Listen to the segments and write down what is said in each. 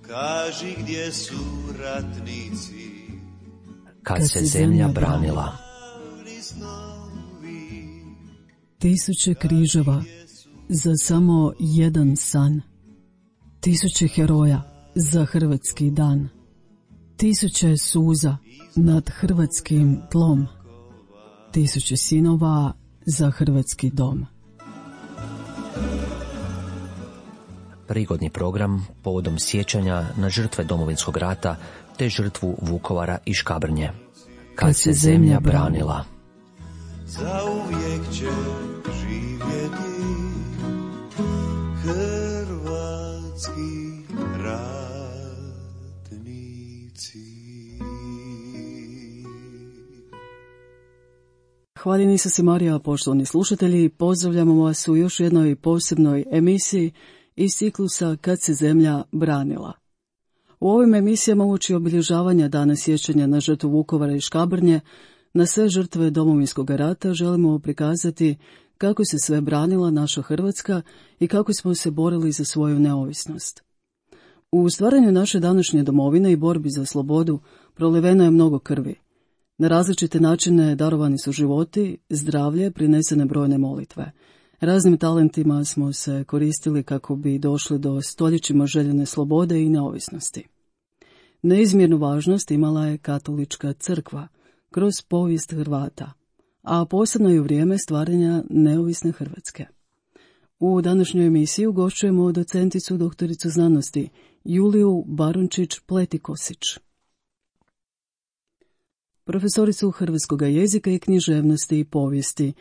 Kaži gdje su ratnici kad se zemlja branila. Tisuće križeva za samo jedan san. Tisuće heroja za hrvatski dan. Tisuće suza nad hrvatskim tlom. Tisuće sinova za hrvatski dom. Prigodni program povodom sjećanja na žrtve Domovinskog rata te žrtvu Vukovara i Škabrnje. Kad se zemlja branila. Zauvijek će živjeti hrvatski ratnici. Hvala Isus i Marija, poštovani slušatelji, pozdravljamo vas u još jednoj posebnoj emisiji iz ciklusa Kad se zemlja branila. U ovim emisijama uoči obilježavanja dana sjećanja na žrtvu Vukovara i Škabrnje, na sve žrtve Domovinskog rata želimo prikazati kako se sve branila naša Hrvatska i kako smo se borili za svoju neovisnost. U stvaranju naše današnje domovine i borbi za slobodu proliveno je mnogo krvi. Na različite načine darovani su životi, zdravlje, prinesene brojne molitve. Raznim talentima smo se koristili kako bi došli do stoljećima željene slobode i neovisnosti. Neizmjernu važnost imala je katolička crkva kroz povijest Hrvata, a posebno i u vrijeme stvaranja neovisne Hrvatske. U današnjoj emisiji ugošćujemo docenticu doktoricu znanosti Juliju Barunčić-Pletikosić, profesoricu hrvatskog jezika i književnosti i povijesti,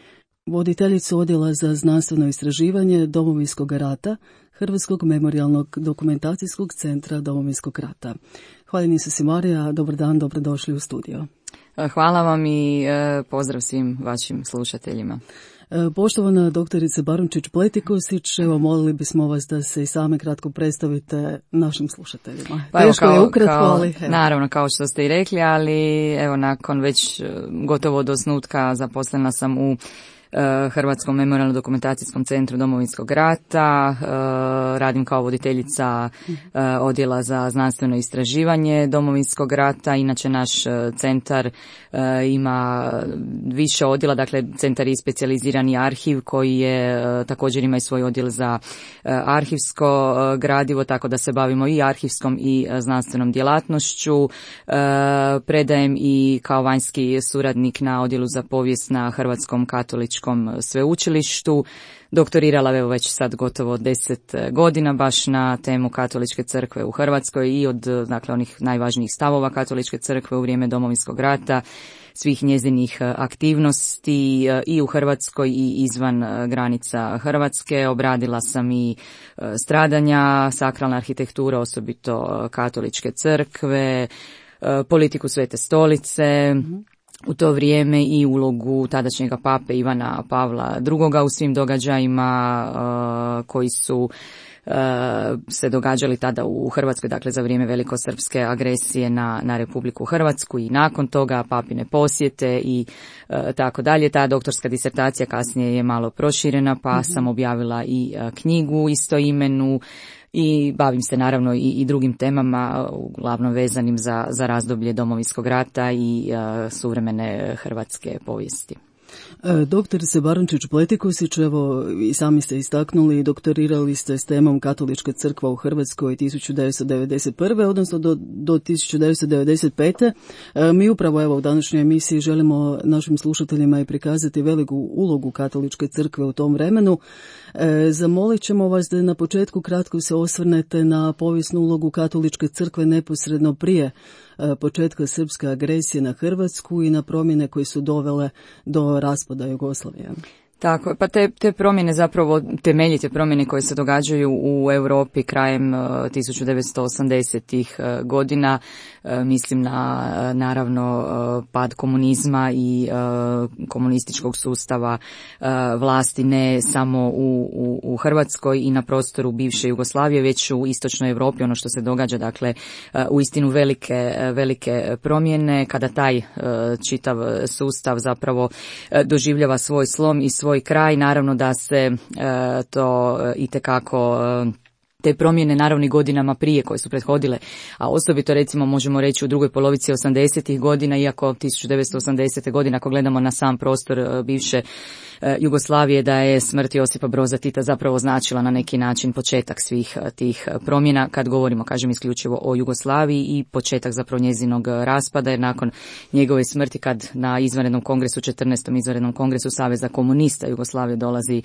voditeljicu Odjela za znanstveno istraživanje Domovinskog rata Hrvatskog memorijalnog dokumentacijskog centra Domovinskog rata. Hvala Isus i Marija, dobar dan, dobrodošli u studio. Hvala vam i pozdrav svim vašim slušateljima. Poštovana doktorice Barunčić-Pletikosić, evo molili bismo vas da se i same kratko predstavite našim slušateljima. Pa teško je ukratko, ali... Naravno, kao što ste i rekli, ali evo nakon već gotovo do osnutka zaposlena sam u Hrvatskom memorijalno-dokumentacijskom centru Domovinskog rata, radim kao voditeljica Odjela za znanstveno istraživanje Domovinskog rata. Inače naš centar ima više odjela, dakle centar je specijalizirani arhiv koji je također ima i svoj odjel za arhivsko gradivo, tako da se bavimo i arhivskom i znanstvenom djelatnošću. Predajem i kao vanjski suradnik na Odjelu za povijest na Hrvatskom katoličkom sveučilištu. Doktorirala evo već sad gotovo 10 godina baš na temu Katoličke crkve u Hrvatskoj i od dakle onih najvažnijih stavova Katoličke crkve u vrijeme Domovinskog rata, svih njezinih aktivnosti i u Hrvatskoj i izvan granica Hrvatske. Obradila sam i stradanja, sakralna arhitektura, osobito Katoličke crkve, politiku Svete stolice, u to vrijeme i ulogu tadašnjega pape Ivana Pavla II. U svim događajima koji su se događali tada u Hrvatskoj, dakle za vrijeme velikosrpske agresije na Republiku Hrvatsku i nakon toga papine posjete i tako dalje. Ta doktorska disertacija kasnije je malo proširena, pa sam objavila i knjigu istoimenu i bavim se naravno i drugim temama, uglavnom vezanim za razdoblje Domovinskog rata i suvremene hrvatske povijesti. Doktorice Barunčić-Pletikosić, evo i sami ste istaknuli, doktorirali ste s temom Katolička crkva u Hrvatskoj 1991. odnosno do 1995. Mi upravo evo u današnjoj emisiji želimo našim slušateljima i prikazati veliku ulogu Katoličke crkve u tom vremenu. Zamolit ćemo vas da na početku kratko se osvrnete na povijesnu ulogu Katoličke crkve neposredno prije početka srpske agresije na Hrvatsku i na promjene koje su dovele do raspada Jugoslavije. Tako, pa te promjene zapravo, temeljite promjene koje se događaju u Europi krajem 1980-ih godina, mislim na naravno pad komunizma i komunističkog sustava vlasti ne samo u Hrvatskoj i na prostoru bivše Jugoslavije, već u istočnoj Europi, ono što se događa, dakle uistinu velike promjene kada taj čitav sustav zapravo doživljava svoj slom i svoj kraj. Naravno da se to itekako te promjene naravno i godinama prije koje su prethodile, a osobito recimo možemo reći u drugoj polovici 80. godina, iako 1980. godine ako gledamo na sam prostor bivše Jugoslavije, da je smrt Josipa Broza Tita zapravo značila na neki način početak svih tih promjena, kad govorimo, kažem, isključivo o Jugoslaviji, i početak zapravo njezinog raspada, jer nakon njegove smrti, kad na izvanrednom kongresu, 14. izvanrednom kongresu Saveza komunista Jugoslavije dolazi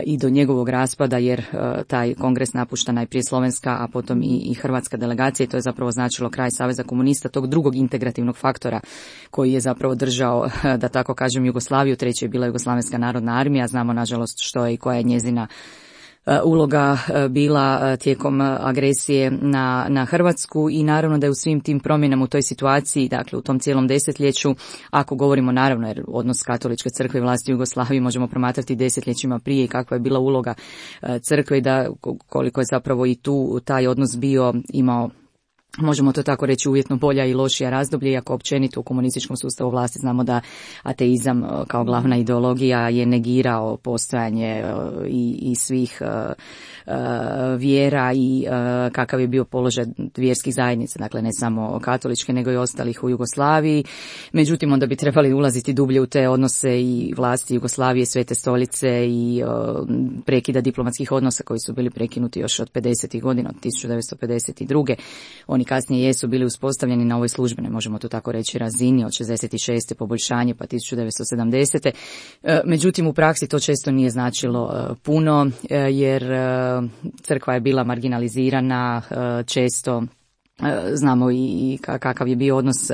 i do njegovog raspada, jer taj kongres napušta najprije slovenska, a potom i hrvatska delegacija, i to je zapravo značilo kraj Saveza komunista, tog drugog integrativnog faktora koji je zapravo držao, da tako kažem, Jugoslaviju. Treće je bila Jugoslavenska narodna armija, znamo nažalost što je i koja je njezina uloga bila tijekom agresije na Hrvatsku, i naravno da je u svim tim promjenama u toj situaciji, dakle u tom cijelom desetljeću, ako govorimo naravno, jer odnos katoličke crkve i vlasti u Jugoslaviji možemo promatrati desetljećima prije i kakva je bila uloga crkve, i da koliko je zapravo i tu taj odnos bio, imao, možemo to tako reći, uvjetno bolja i lošija razdoblje, iako općenito u komunističkom sustavu vlasti znamo da ateizam kao glavna ideologija je negirao postojanje i svih vjera i kakav je bio položaj vjerskih zajednica, dakle ne samo katoličke nego i ostalih u Jugoslaviji. Međutim, onda bi trebali ulaziti dublje u te odnose i vlasti Jugoslavije, Svete stolice i prekida diplomatskih odnosa koji su bili prekinuti još od 50. godina, od 1952. Oni kasnije jesu bili uspostavljeni na ovoj službenoj, možemo to tako reći, razini od 66. poboljšanje pa 1970. Međutim, u praksi to često nije značilo puno, jer crkva je bila marginalizirana, često znamo i kakav je bio odnos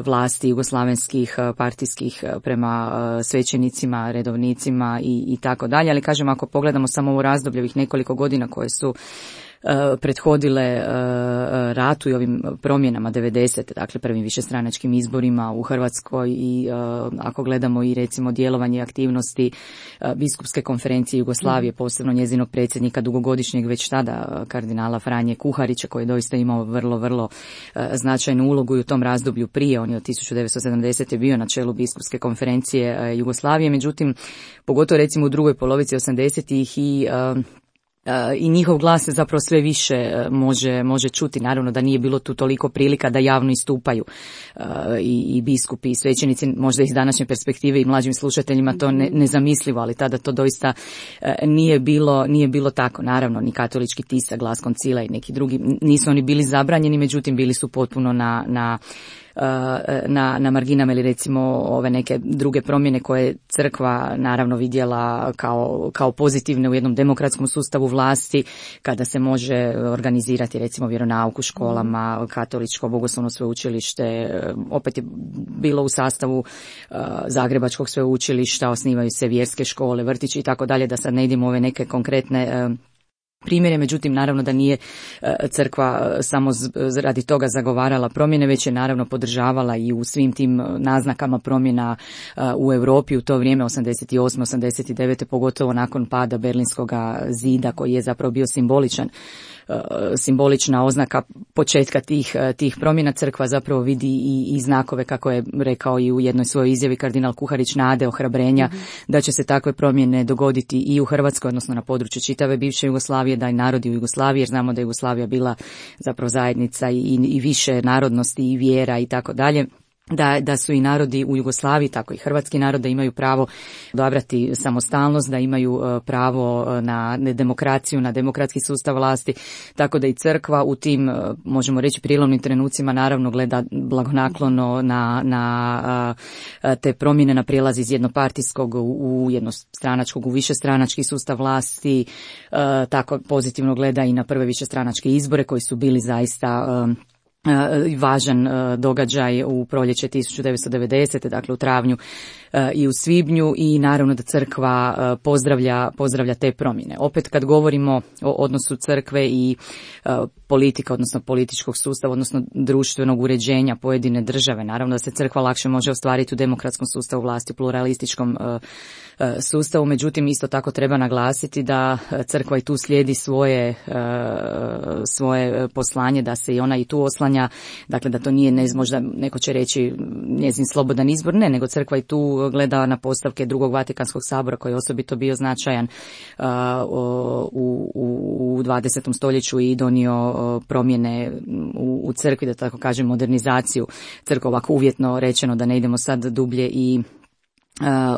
vlasti jugoslavenskih partijskih prema svećenicima, redovnicima i tako dalje, ali kažem, ako pogledamo samo ovo razdoblje ovih nekoliko godina koje su prethodile ratu i ovim promjenama 90. dakle prvim višestranačkim izborima u Hrvatskoj, i ako gledamo i recimo djelovanje i aktivnosti biskupske konferencije Jugoslavije, posebno njezinog predsjednika dugogodišnjeg već tada kardinala Franje Kuharića, koji je doista imao vrlo značajnu ulogu i u tom razdoblju prije. On je od 1970. bio na čelu biskupske konferencije Jugoslavije, međutim pogotovo recimo u drugoj polovici 80-ih i njihov glas se zapravo sve više može čuti. Naravno da nije bilo tu toliko prilika da javno istupaju i biskupi i svećenici, možda iz današnje perspektive i mlađim slušateljima to nezamislivo, ali tada to doista nije bilo tako. Naravno, ni katolički tisak, Glas koncila i neki drugi, nisu oni bili zabranjeni, međutim bili su potpuno na marginama, ili recimo ove neke druge promjene koje crkva naravno vidjela kao pozitivne u jednom demokratskom sustavu vlasti, kada se može organizirati recimo vjeronauk u školama, katoličko bogoslovno sveučilište, opet je bilo u sastavu Zagrebačkog sveučilišta, osnivaju se vjerske škole, vrtići i tako dalje, da sad ne idemo ove neke konkretne primjere. Međutim, naravno da nije crkva samo radi toga zagovarala promjene, već je naravno podržavala i u svim tim naznakama promjena u Europi u to vrijeme 88. 89. pogotovo nakon pada Berlinskog zida, koji je zapravo bio simbolična oznaka početka tih promjena. Crkva zapravo vidi i znakove, kako je rekao i u jednoj svojoj izjavi kardinal Kuharić, nade, ohrabrenja da će se takve promjene dogoditi i u Hrvatskoj, odnosno na području čitave bivše Jugoslavije, da i narodi u Jugoslaviji, jer znamo da je Jugoslavija bila zapravo zajednica i više narodnosti i vjera i tako dalje. Da su i narodi u Jugoslaviji, tako i hrvatski narod, da imaju pravo odabrati samostalnost, da imaju pravo na demokraciju, na demokratski sustav vlasti, tako da i crkva u tim, možemo reći, prijelomnim trenucima naravno gleda blagonaklono na te promjene, na prijelaz iz jednopartijskog u jednostranačkog, u višestranački sustav vlasti, tako pozitivno gleda i na prve višestranačke izbore koji su bili zaista važan događaj u proljeće 1990. dakle u travnju i u svibnju, i naravno da crkva pozdravlja te promjene. Opet kad govorimo o odnosu crkve i politika, odnosno političkog sustava, odnosno društvenog uređenja pojedine države, naravno da se crkva lakše može ostvariti u demokratskom sustavu vlasti, pluralističkom sustavu, međutim isto tako treba naglasiti da crkva i tu slijedi svoje poslanje, da se i ona i tu oslanja oslanja, dakle da to nije možda neko će reći njezin slobodan izbor, ne, nego crkva i tu gleda na postavke Drugog Vatikanskog sabora koji je osobito bio značajan u 20. stoljeću i donio promjene u crkvi, da tako kažem modernizaciju crkve, ovako uvjetno rečeno, da ne idemo sad dublje i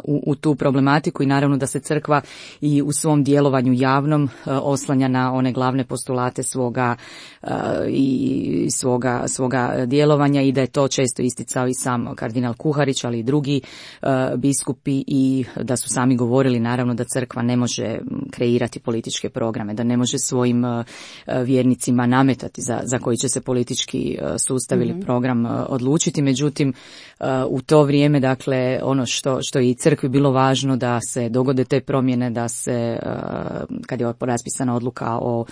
u tu problematiku, i naravno da se crkva i u svom djelovanju javnom oslanja na one glavne postulate svoga djelovanja, i da je to često isticao i sam kardinal Kuharić, ali i drugi biskupi, i da su sami govorili naravno da crkva ne može kreirati političke programe, da ne može svojim vjernicima nametati za koji će se politički sustav ili program odlučiti. Međutim, u to vrijeme, dakle, ono što je i crkvi bilo važno da se dogode te promjene, da se, kad je raspisana odluka o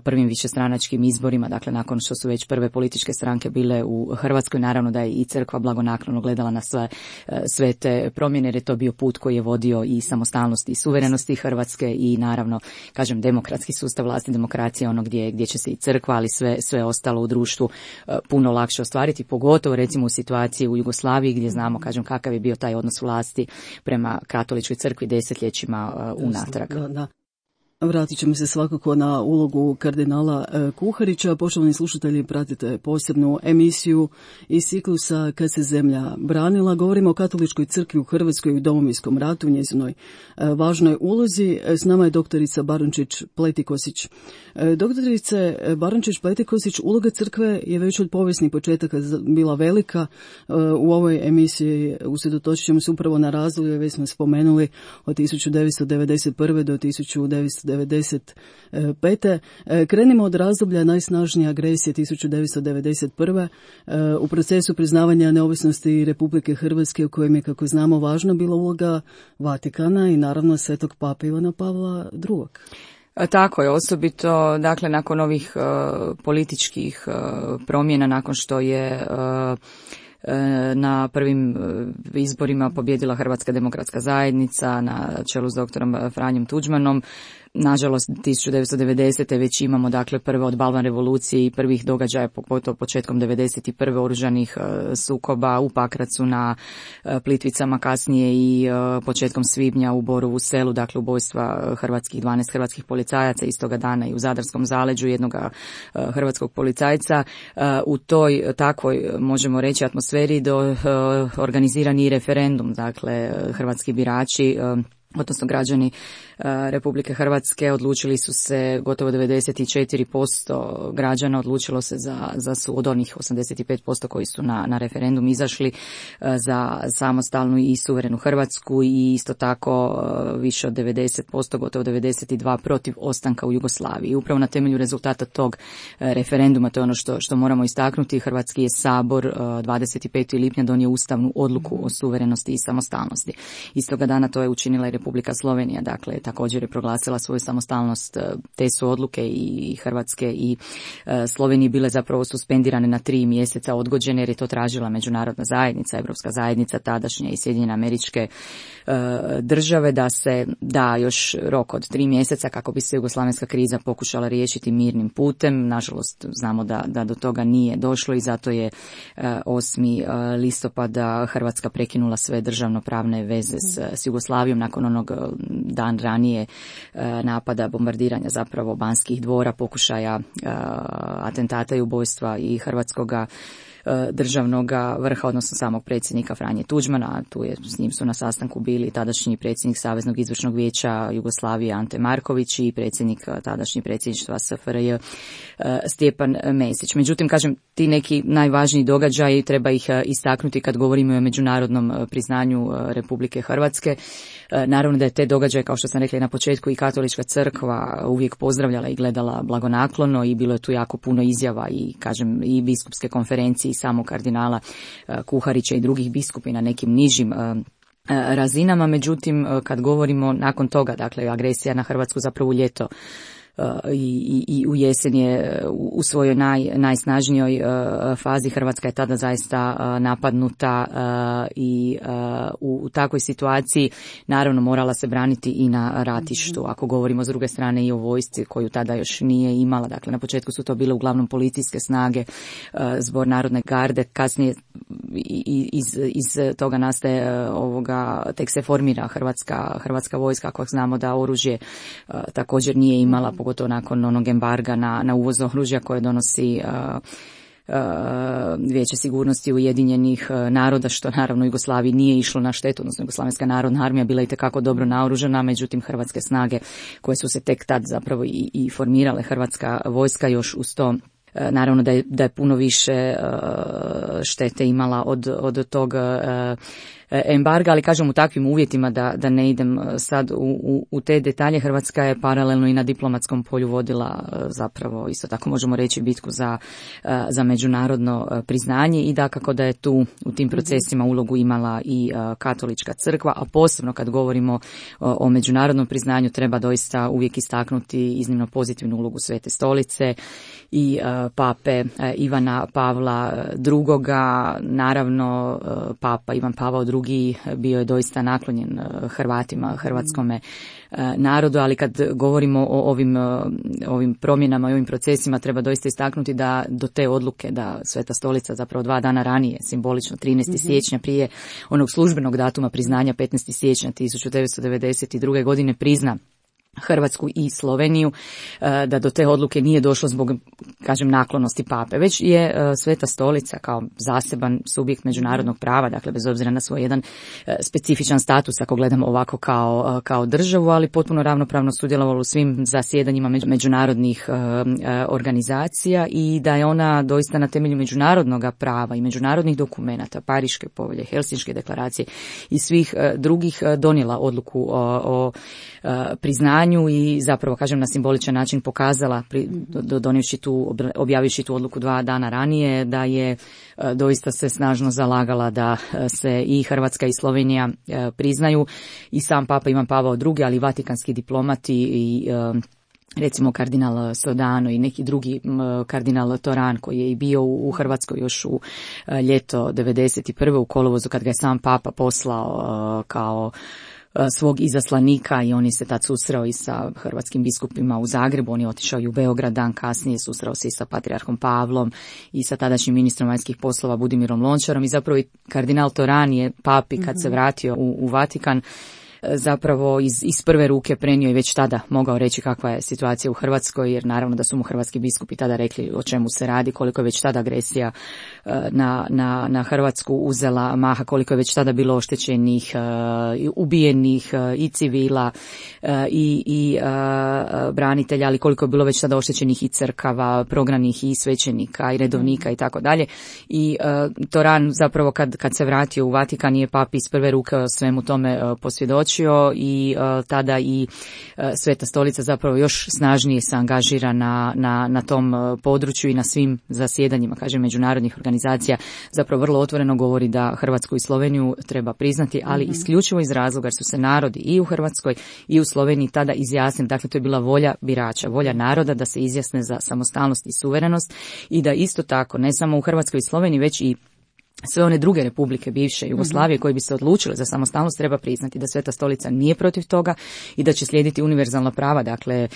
prvim višestranačkim izborima, dakle nakon što su već prve političke stranke bile u Hrvatskoj, naravno da je i crkva blagonaklono gledala na sve te promjene, jer je to bio put koji je vodio i samostalnosti i suverenosti Hrvatske i naravno, kažem, demokratski sustav vlasti, demokracija, ono gdje će se i crkva, ali sve ostalo u društvu puno lakše ostvariti, pogotovo recimo u situaciji u Jugoslaviji gdje znamo, kažem, kakav je bio taj odnos vlasti prema katoličkoj crkvi desetljećima unatrag. Da. Vratit ćemo se svakako na ulogu kardinala Kuharića. Poštovani slušatelji, pratite posebnu emisiju iz ciklusa Kad se zemlja branila. Govorimo o katoličkoj crkvi u Hrvatskoj i u Domovinskom ratu, njezinoj važnoj ulozi. S nama je doktorica Barončić-Pletikosić. Doktorice Barončić-Pletikosić, uloga crkve je već od povijesnih početaka bila velika. U ovoj emisiji usredotočit ćemo se upravo na razdoblje, već smo spomenuli, od 1991. do 1995. Krenimo od razdoblja najsnažnije agresije 1991. U procesu priznavanja neovisnosti Republike Hrvatske, u kojem je, kako znamo, važna bila uloga Vatikana i naravno Svetog Pape Ivana Pavla II. Tako je, osobito dakle nakon ovih političkih promjena, nakon što je na prvim izborima pobjedila Hrvatska demokratska zajednica na čelu s doktorom Franjom Tuđmanom. Nažalost, 1990. već imamo dakle prve od Balvan revolucije i prvih događaja, pogotovo početkom 91. oružanih sukoba u Pakracu, na Plitvicama, kasnije i početkom svibnja u Borovu Selu, dakle ubojstva 12 hrvatskih policajaca istoga dana i u Zadarskom zaleđu jednog hrvatskog policajca. U toj takvoj, možemo reći, atmosferi organizirani referendum, dakle hrvatski birači, odnosno građani Republike Hrvatske odlučili su se, gotovo 94% građana odlučilo se od onih 85% koji su na referendum izašli, za samostalnu i suverenu Hrvatsku, i isto tako više od 90%, gotovo 92% protiv ostanka u Jugoslaviji. I upravo na temelju rezultata tog referenduma, to je ono što moramo istaknuti, Hrvatski je sabor 25. lipnja donio ustavnu odluku o suverenosti i samostalnosti. Istoga dana to je učinila i Republika Slovenija, dakle također je proglasila svoju samostalnost. Te su odluke i Hrvatske i Slovenije bile zapravo suspendirane na 3 mjeseca, odgođene, jer je to tražila međunarodna zajednica, Europska zajednica tadašnje i Sjedinjene Američke države, da se da još rok od 3 mjeseca kako bi se jugoslavenska kriza pokušala riješiti mirnim putem. Nažalost, znamo da do toga nije došlo i zato je 8. listopada Hrvatska prekinula sve državnopravne veze s Jugoslavijom nakon onog dan ranije napada, bombardiranja zapravo Banskih dvora, pokušaja atentata i ubojstva i hrvatskoga državnog vrha, odnosno samog predsjednika Franje Tuđmana. S njim su na sastanku bili tadašnji predsjednik Saveznog izvršnog vijeća Jugoslavije Ante Marković i predsjednik tadašnji predsjedništva SFRJ Stjepan Mesić. Međutim, kažem, ti neki najvažniji događaji treba ih istaknuti kad govorimo o međunarodnom priznanju Republike Hrvatske. Naravno da je te događaje, kao što sam rekla i na početku, i katolička crkva uvijek pozdravljala i gledala blagonaklono, i bilo je tu jako puno izjava i, kažem, i biskupske konferencije i samog kardinala Kuharića i drugih biskupi na nekim nižim razinama. Međutim, kad govorimo nakon toga, dakle agresija na Hrvatsku zapravo u ljeto i u jesen je u svojoj najsnažnijoj fazi. Hrvatska je tada zaista napadnuta i u takvoj situaciji naravno morala se braniti i na ratištu. Ako govorimo s druge strane i o vojsci koju tada još nije imala, dakle na početku su to bile uglavnom policijske snage, Zbor narodne garde, kasnije iz toga nastaje tek se formira hrvatska vojska, ako znamo da oružje također nije imala, pogotovo nakon onog embarga na uvoz oružja koje donosi Vijeće sigurnosti Ujedinjenih naroda, što naravno Jugoslaviji nije išlo na štetu, odnosno Jugoslavenska narodna armija bila itekako dobro naoružana, međutim hrvatske snage koje su se tek tad zapravo i formirale, hrvatska vojska još uz to, naravno da je puno više štete imala od tog embarga, ali kažem u takvim uvjetima da ne idem sad u te detalje. Hrvatska je paralelno i na diplomatskom polju vodila zapravo isto tako možemo reći bitku za međunarodno priznanje i dakako da je tu u tim procesima ulogu imala i Katolička crkva, a posebno kad govorimo o međunarodnom priznanju treba doista uvijek istaknuti iznimno pozitivnu ulogu Svete Stolice i pape Ivana Pavla II. Naravno papa Ivan Pavao II. Bio je doista naklonjen Hrvatima, hrvatskome narodu, ali kad govorimo o ovim promjenama i ovim procesima treba doista istaknuti da do te odluke da Sveta Stolica zapravo 2 dana ranije, simbolično 13. siječnja prije onog službenog datuma priznanja 15. siječnja 1992. godine prizna Hrvatsku i Sloveniju, da do te odluke nije došlo zbog, kažem, naklonosti pape, već je Sveta Stolica kao zaseban subjekt međunarodnog prava, dakle bez obzira na svoj jedan specifičan status, ako gledamo ovako kao državu, ali potpuno ravnopravno sudjelovala u svim zasjedanjima međunarodnih organizacija i da je ona doista na temelju međunarodnog prava i međunarodnih dokumenata, Pariške povelje, Helsinške deklaracije i svih drugih donijela odluku o priznanju i zapravo, kažem, na simboličan način pokazala, objavivši tu odluku 2 dana ranije, da je doista se snažno zalagala da se i Hrvatska i Slovenija priznaju i sam papa Ivan Pavao II, ali i vatikanski diplomati i recimo kardinal Sodano i neki drugi kardinal Toran koji je i bio u Hrvatskoj još u ljeto 1991. u kolovozu kad ga je sam papa poslao kao svog izaslanika i on je se tad susreo i sa hrvatskim biskupima u Zagrebu, on je otišao i u Beograd dan kasnije, susreo se i sa patrijarhom Pavlom i sa tadašnjim ministrom vanjskih poslova Budimirom Lončarom i zapravo i kardinal Toran je papi kad se vratio u Vatikan zapravo iz prve ruke prenio i već tada mogao reći kakva je situacija u Hrvatskoj, jer naravno da su mu hrvatski biskupi tada rekli o čemu se radi, koliko je već tada agresija na Hrvatsku uzela maha, koliko je već tada bilo oštećenih, ubijenih i civila i branitelja, ali koliko je bilo već tada oštećenih i crkava, prognanih i svećenika i redovnika i tako dalje. I Toran zapravo kad se vratio u Vatikan je papi iz prve ruke o svemu tome posvjedočio i tada i Sveta Stolica zapravo još snažnije se angažira na tom području i na svim zasjedanjima, kažem, međunarodnih organizacija, zapravo vrlo otvoreno govori da Hrvatsku i Sloveniju treba priznati, ali isključivo iz razloga jer su se narodi i u Hrvatskoj i u Sloveniji tada izjasnili, dakle to je bila volja birača, volja naroda da se izjasne za samostalnost i suverenost i da isto tako ne samo u Hrvatskoj i Sloveniji već i sve one druge republike bivše Jugoslavije koje bi se odlučile za samostalnost treba priznati da Sveta Stolica nije protiv toga i da će slijediti univerzalna prava, dakle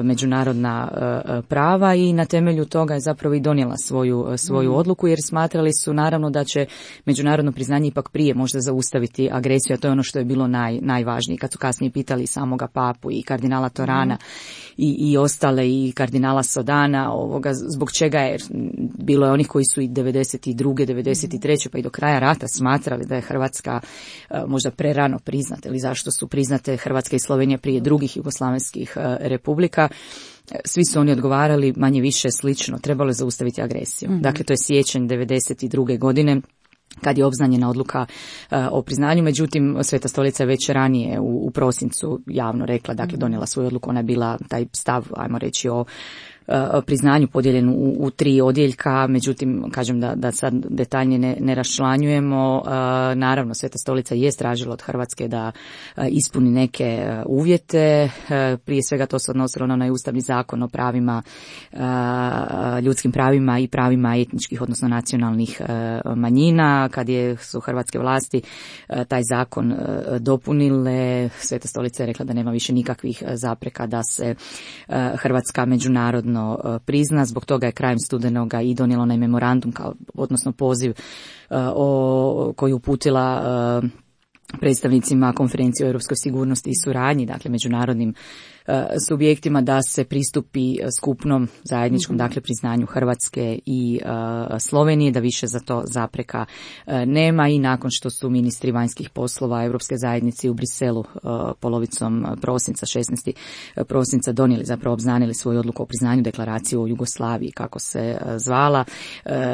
međunarodna prava i na temelju toga je zapravo i donijela svoju odluku jer smatrali su naravno da će međunarodno priznanje ipak prije možda zaustaviti agresiju, a to je ono što je bilo najvažnije. Kad su kasnije pitali samoga papu i kardinala Torana i ostale i kardinala Sodana zbog čega je, bilo je onih koji su i 92. 93. pa i do kraja rata smatrali da je Hrvatska možda prerano priznata ili zašto su priznate Hrvatska i Slovenija prije drugih jugoslavenskih republika. Svi su oni odgovarali manje više slično, trebalo je zaustaviti agresiju. Dakle, to je siječanj 92. godine kad je obznanjena odluka o priznanju, međutim Sveta Stolica je već ranije u prosincu javno rekla, dakle donijela svoju odluku, ona je bila taj stav, ajmo reći, o priznanju podijeljen u 3 odjeljka, međutim, kažem da sad detaljnije ne raščlanjujemo. Naravno, Sveta Stolica je tražila od Hrvatske da ispuni neke uvjete. Prije svega to se odnosilo na onaj Ustavni zakon o pravima, ljudskim pravima i pravima etničkih, odnosno nacionalnih manjina. Kad su hrvatske vlasti taj zakon dopunile, Sveta Stolica je rekla da nema više nikakvih zapreka da se Hrvatska međunarodno prizna. Zbog toga je krajem studenoga i donijelo onaj memorandum, odnosno poziv koji uputila predstavnicima konferencije o europskoj sigurnosti i suradnji, dakle međunarodnim subjektima, da se pristupi skupnom zajedničkom, dakle priznanju Hrvatske i Slovenije, da više za to zapreka nema. I nakon što su ministri vanjskih poslova Europske zajednice u Briselu polovicom prosinca, 16. prosinca donijeli, zapravo obznanili svoju odluku o priznanju deklaraciju o Jugoslaviji, kako se zvala,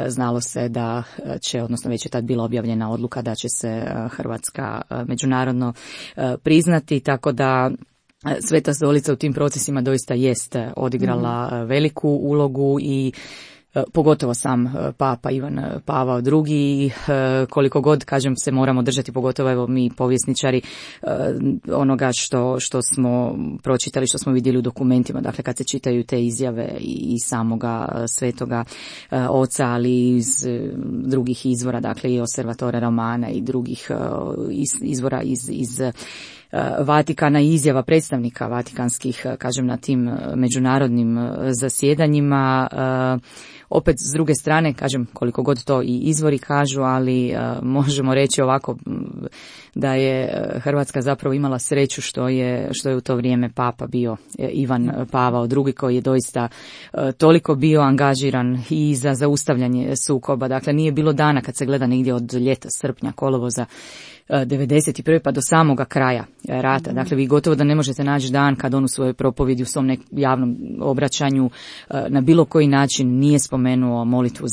znalo se da će, odnosno već je tad bila objavljena odluka da će se Hrvatska međunarodno priznati, tako da Sveta Stolica u tim procesima doista jest odigrala veliku ulogu i pogotovo sam Papa Ivan Pavao II, koliko god, kažem, se moramo držati, pogotovo evo mi povjesničari, onoga što smo pročitali, što smo vidjeli u dokumentima, dakle kad se čitaju te izjave i samoga Svetoga Oca, ali iz drugih izvora, dakle i Osservatore Romana i drugih izvora iz Vatikana i izjava predstavnika vatikanskih, kažem, na tim međunarodnim zasjedanjima. Opet s druge strane, kažem, koliko god to i izvori kažu, ali možemo reći ovako da je Hrvatska zapravo imala sreću što je u to vrijeme Papa bio Ivan Pavao II, koji je doista toliko bio angažiran i za zaustavljanje sukoba. Dakle, nije bilo dana kad se gleda negdje od ljeta, srpnja, kolovoza 91. pa do samoga kraja rata. Dakle, vi gotovo da ne možete naći dan kad on u svojoj propovjedi, u svom javnom obraćanju na bilo koji način nije spomenuo molitvu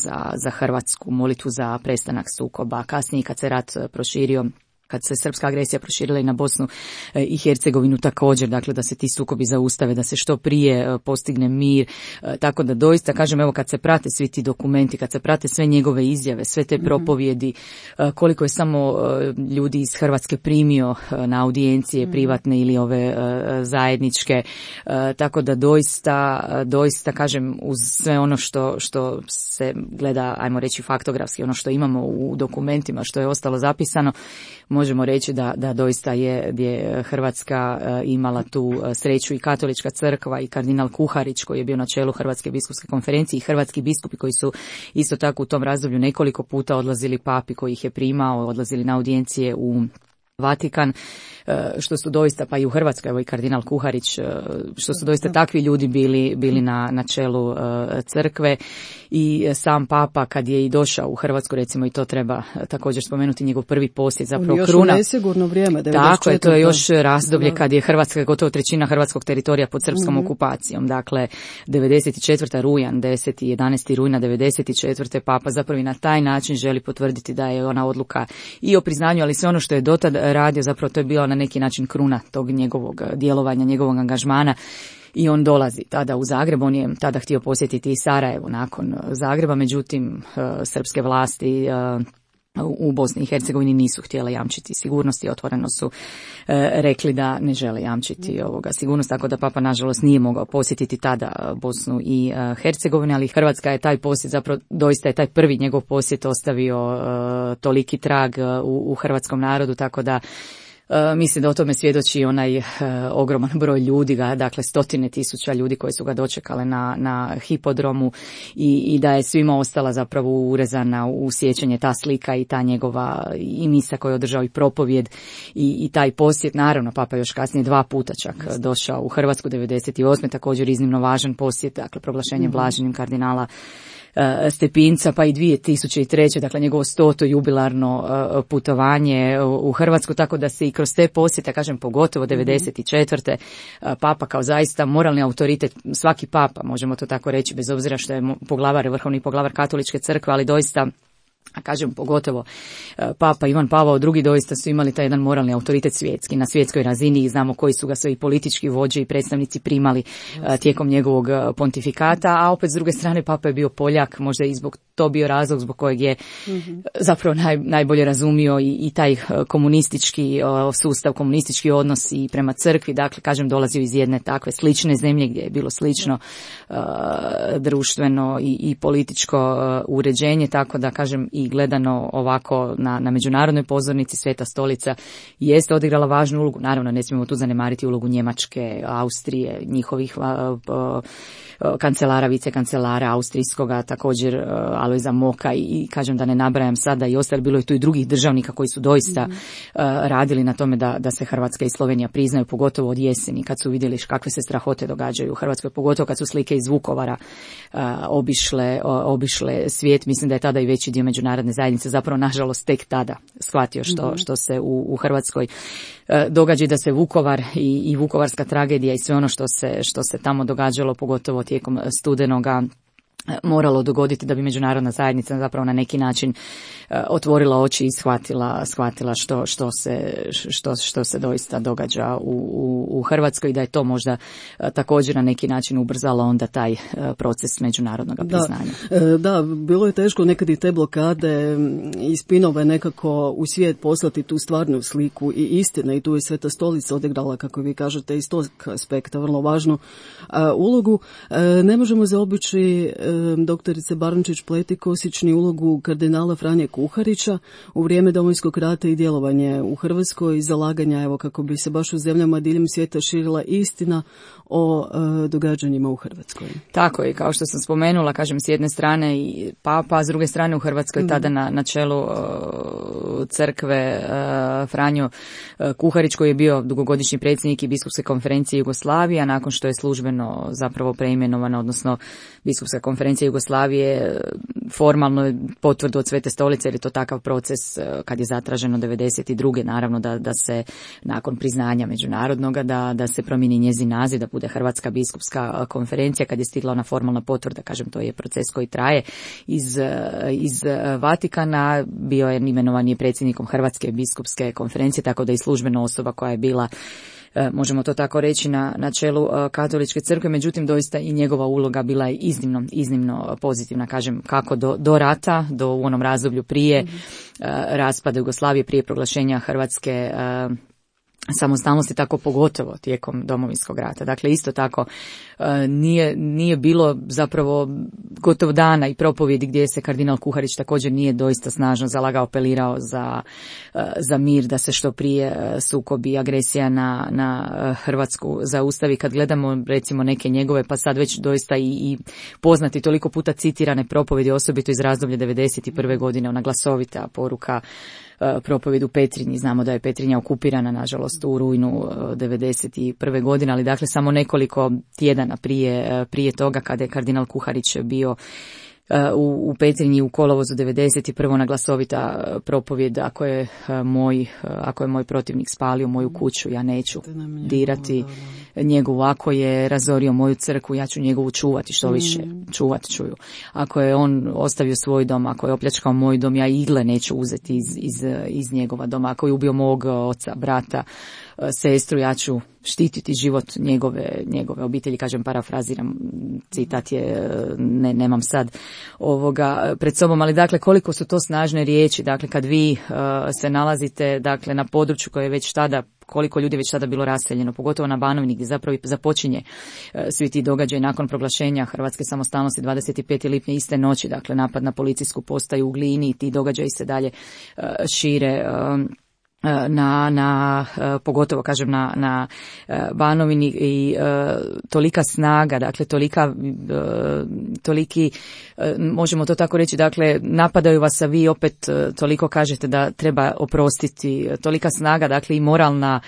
za Hrvatsku, molitvu za prestanak sukoba. Kasnije kad se rat proširio, kad se srpska agresija proširila i na Bosnu i Hercegovinu također, dakle da se ti sukobi zaustave, da se što prije postigne mir, tako da doista, kažem, evo kad se prate svi ti dokumenti, kad se prate sve njegove izjave, sve te propovjedi, koliko je samo ljudi iz Hrvatske primio na audijencije privatne ili ove zajedničke, tako da doista, kažem, uz sve ono što se gleda, ajmo reći faktografski, ono što imamo u dokumentima, što je ostalo zapisano, možemo reći da doista je Hrvatska imala tu sreću. I Katolička crkva i kardinal Kuharić, koji je bio na čelu Hrvatske biskupske konferencije, i hrvatski biskupi koji su isto tako u tom razdoblju nekoliko puta odlazili Papi koji ih je primao, odlazili na audijencije u Vatikan, što su doista, pa i u Hrvatskoj, evo i kardinal Kuharić, što su doista takvi ljudi bili na čelu crkve. I sam Papa kad je i došao u Hrvatsku, recimo, i to treba također spomenuti, njegov prvi posjet, zapravo još kruna. Još u nesigurno vrijeme, 94. Tako je, to je još razdoblje kad je Hrvatska, gotovo trećina hrvatskog teritorija pod srpskom okupacijom. Dakle, 94. rujan, 10. i 11. rujna 94. Papa zapravo i na taj način želi potvrditi da je ona odluka i o priznanju, ali sve ono što je dotad radio, zapravo to je bila na neki način kruna tog njegovog djelovanja, njegovog angažmana. I on dolazi tada u Zagreb, on je tada htio posjetiti i Sarajevo nakon Zagreba, međutim srpske vlasti u Bosni i Hercegovini nisu htjele jamčiti sigurnost i otvoreno su rekli da ne žele jamčiti sigurnost, tako da Papa nažalost nije mogao posjetiti tada Bosnu i Hercegovinu, ali Hrvatska je taj posjet, zapravo doista je taj prvi njegov posjet ostavio toliki trag u hrvatskom narodu, tako da mislim da o tome svjedoči onaj ogroman broj ljudi, dakle stotine tisuća ljudi koji su ga dočekale na hipodromu i da je svima ostala zapravo urezana u sjećanje ta slika i ta njegova i misa koju je održao i propovjed i taj posjet. Naravno, Papa još kasnije 2 puta čak došao u Hrvatsku, 98. također iznimno važan posjet, dakle proglašenje blaženim kardinala Stepinca, pa i 2003. dakle njegovo 100. jubilarno putovanje u Hrvatsku, tako da se i kroz te posjete, kažem pogotovo 94. Papa kao zaista moralni autoritet, svaki Papa, možemo to tako reći, bez obzira što je vrhovni poglavar Katoličke crkve, ali doista a kažem pogotovo Papa Ivan Pavao II doista su imali taj jedan moralni autoritet svjetski, na svjetskoj razini, i znamo koji su ga sve i politički vođe i predstavnici primali tijekom njegovog pontifikata, a opet s druge strane Papa je bio Poljak, možda i zbog to bio razlog zbog kojeg je zapravo najbolje razumio i taj komunistički sustav, komunistički odnos i prema crkvi, dakle kažem dolazio iz jedne takve slične zemlje gdje je bilo slično društveno i političko uređenje, tako da kažem i gledano ovako na međunarodnoj pozornici Sveta Stolica jeste odigrala važnu ulogu. Naravno ne smijemo tu zanemariti ulogu Njemačke, Austrije, njihovih kancelara, vicekancelara austrijskoga, također Alojza Moka i kažem da ne nabrajam sada i ostali, bilo je tu i drugih državnika koji su doista radili na tome da se Hrvatska i Slovenija priznaju, pogotovo od jeseni kad su vidjeli kakve se strahote događaju u Hrvatskoj, pogotovo kad su slike iz Vukovara obišle svijet. Mislim da je tada i veći dio međunarodne zajednice zapravo nažalost tek tada shvatio što se u Hrvatskoj događa, da se Vukovar i vukovarska tragedija i sve ono što se tamo događalo, pogotovo tijekom studenoga, moralo dogoditi da bi međunarodna zajednica zapravo na neki način otvorila oči i shvatila što se doista događa u Hrvatskoj, i da je to možda također na neki način ubrzalo onda taj proces međunarodnog priznanja. Da, bilo je teško nekad i te blokade i spinove nekako u svijet poslati tu stvarnu sliku i istine, i tu je Sveta Stolica odigrala, kako vi kažete, iz tog aspekta vrlo važnu ulogu. Ne možemo zaobići doktorice Barunčić-Pletikosić ni ulogu kardinala Franje Kuharića u vrijeme Domovinskog rata i djelovanje u Hrvatskoj i zalaganja, evo, kako bi se baš u zemljama diljem svijeta širila istina o događanjima u Hrvatskoj. Tako je, kao što sam spomenula, kažem, s jedne strane i Papa, a s druge strane u Hrvatskoj tada na čelu crkve Franjo Kuharić, koji je bio dugogodišnji predsjednik i Biskupske konferencije Jugoslavije, a nakon što je službeno zapravo preimenovana, odnosno Biskupska konferencija Jugoslavije formalno potvrdu od Svete Stolice, jer je to takav proces kad je zatraženo 92. naravno da se nakon priznanja međunarodnoga da se promijeni njezin naziv, da bude Hrvatska biskupska konferencija. Kad je stigla ona formalna potvrda, kažem, to je proces koji traje iz Vatikana, bio je imenovan je predsjednikom Hrvatske biskupske konferencije, tako da i službena osoba koja je bila, možemo to tako reći, na čelu Katoličke crkve, međutim doista i njegova uloga bila je iznimno pozitivna, kažem, kako do rata, u onom razdoblju prije raspada Jugoslavije, prije proglašenja Hrvatske samostalnosti, tako pogotovo tijekom Domovinskog rata. Dakle, isto tako nije bilo zapravo gotovo dana i propovjedi gdje se kardinal Kuharić također nije doista snažno zalagao, apelirao za mir, da se što prije sukobi i agresija na Hrvatsku zaustavi. Kad gledamo recimo neke njegove, pa sad već doista i poznati, toliko puta citirane propovjedi, osobito iz razdoblja 91. godine, ona glasovita poruka, propovjed u Petrinji. Znamo da je Petrinja okupirana, nažalost, u rujnu 91. godine, ali dakle samo nekoliko tjedana prije toga, kada je kardinal Kuharić bio u Petrinji u kolovozu 91. na glasovita propovjed, ako je moj protivnik spalio moju kuću, ja neću dirati njegovu, ako je razorio moju crkvu, ja ću njegovu čuvati, što više čuvat ću ju. Ako je on ostavio svoj dom, ako je opljačkao moj dom, ja igle neću uzeti iz njegova doma. Ako je ubio mog oca, brata, sestru, ja ću štititi život njegove obitelji. Kažem, parafraziram, citat je, nemam sad pred sobom, ali dakle koliko su to snažne riječi. Dakle, kad vi se nalazite dakle na području koje je već tada, koliko ljudi već tada bilo raseljeno, pogotovo na Banovini gdje zapravo započinje svi ti događaji nakon proglašenja Hrvatske samostalnosti 25. lipnja, iste noći, dakle napad na policijsku postaju u Glini, i ti događaji se dalje šire pogotovo kažem na Banovini, i tolika snaga, dakle toliki, možemo to tako reći, dakle napadaju vas, a vi opet toliko kažete da treba oprostiti, tolika snaga, dakle i moralna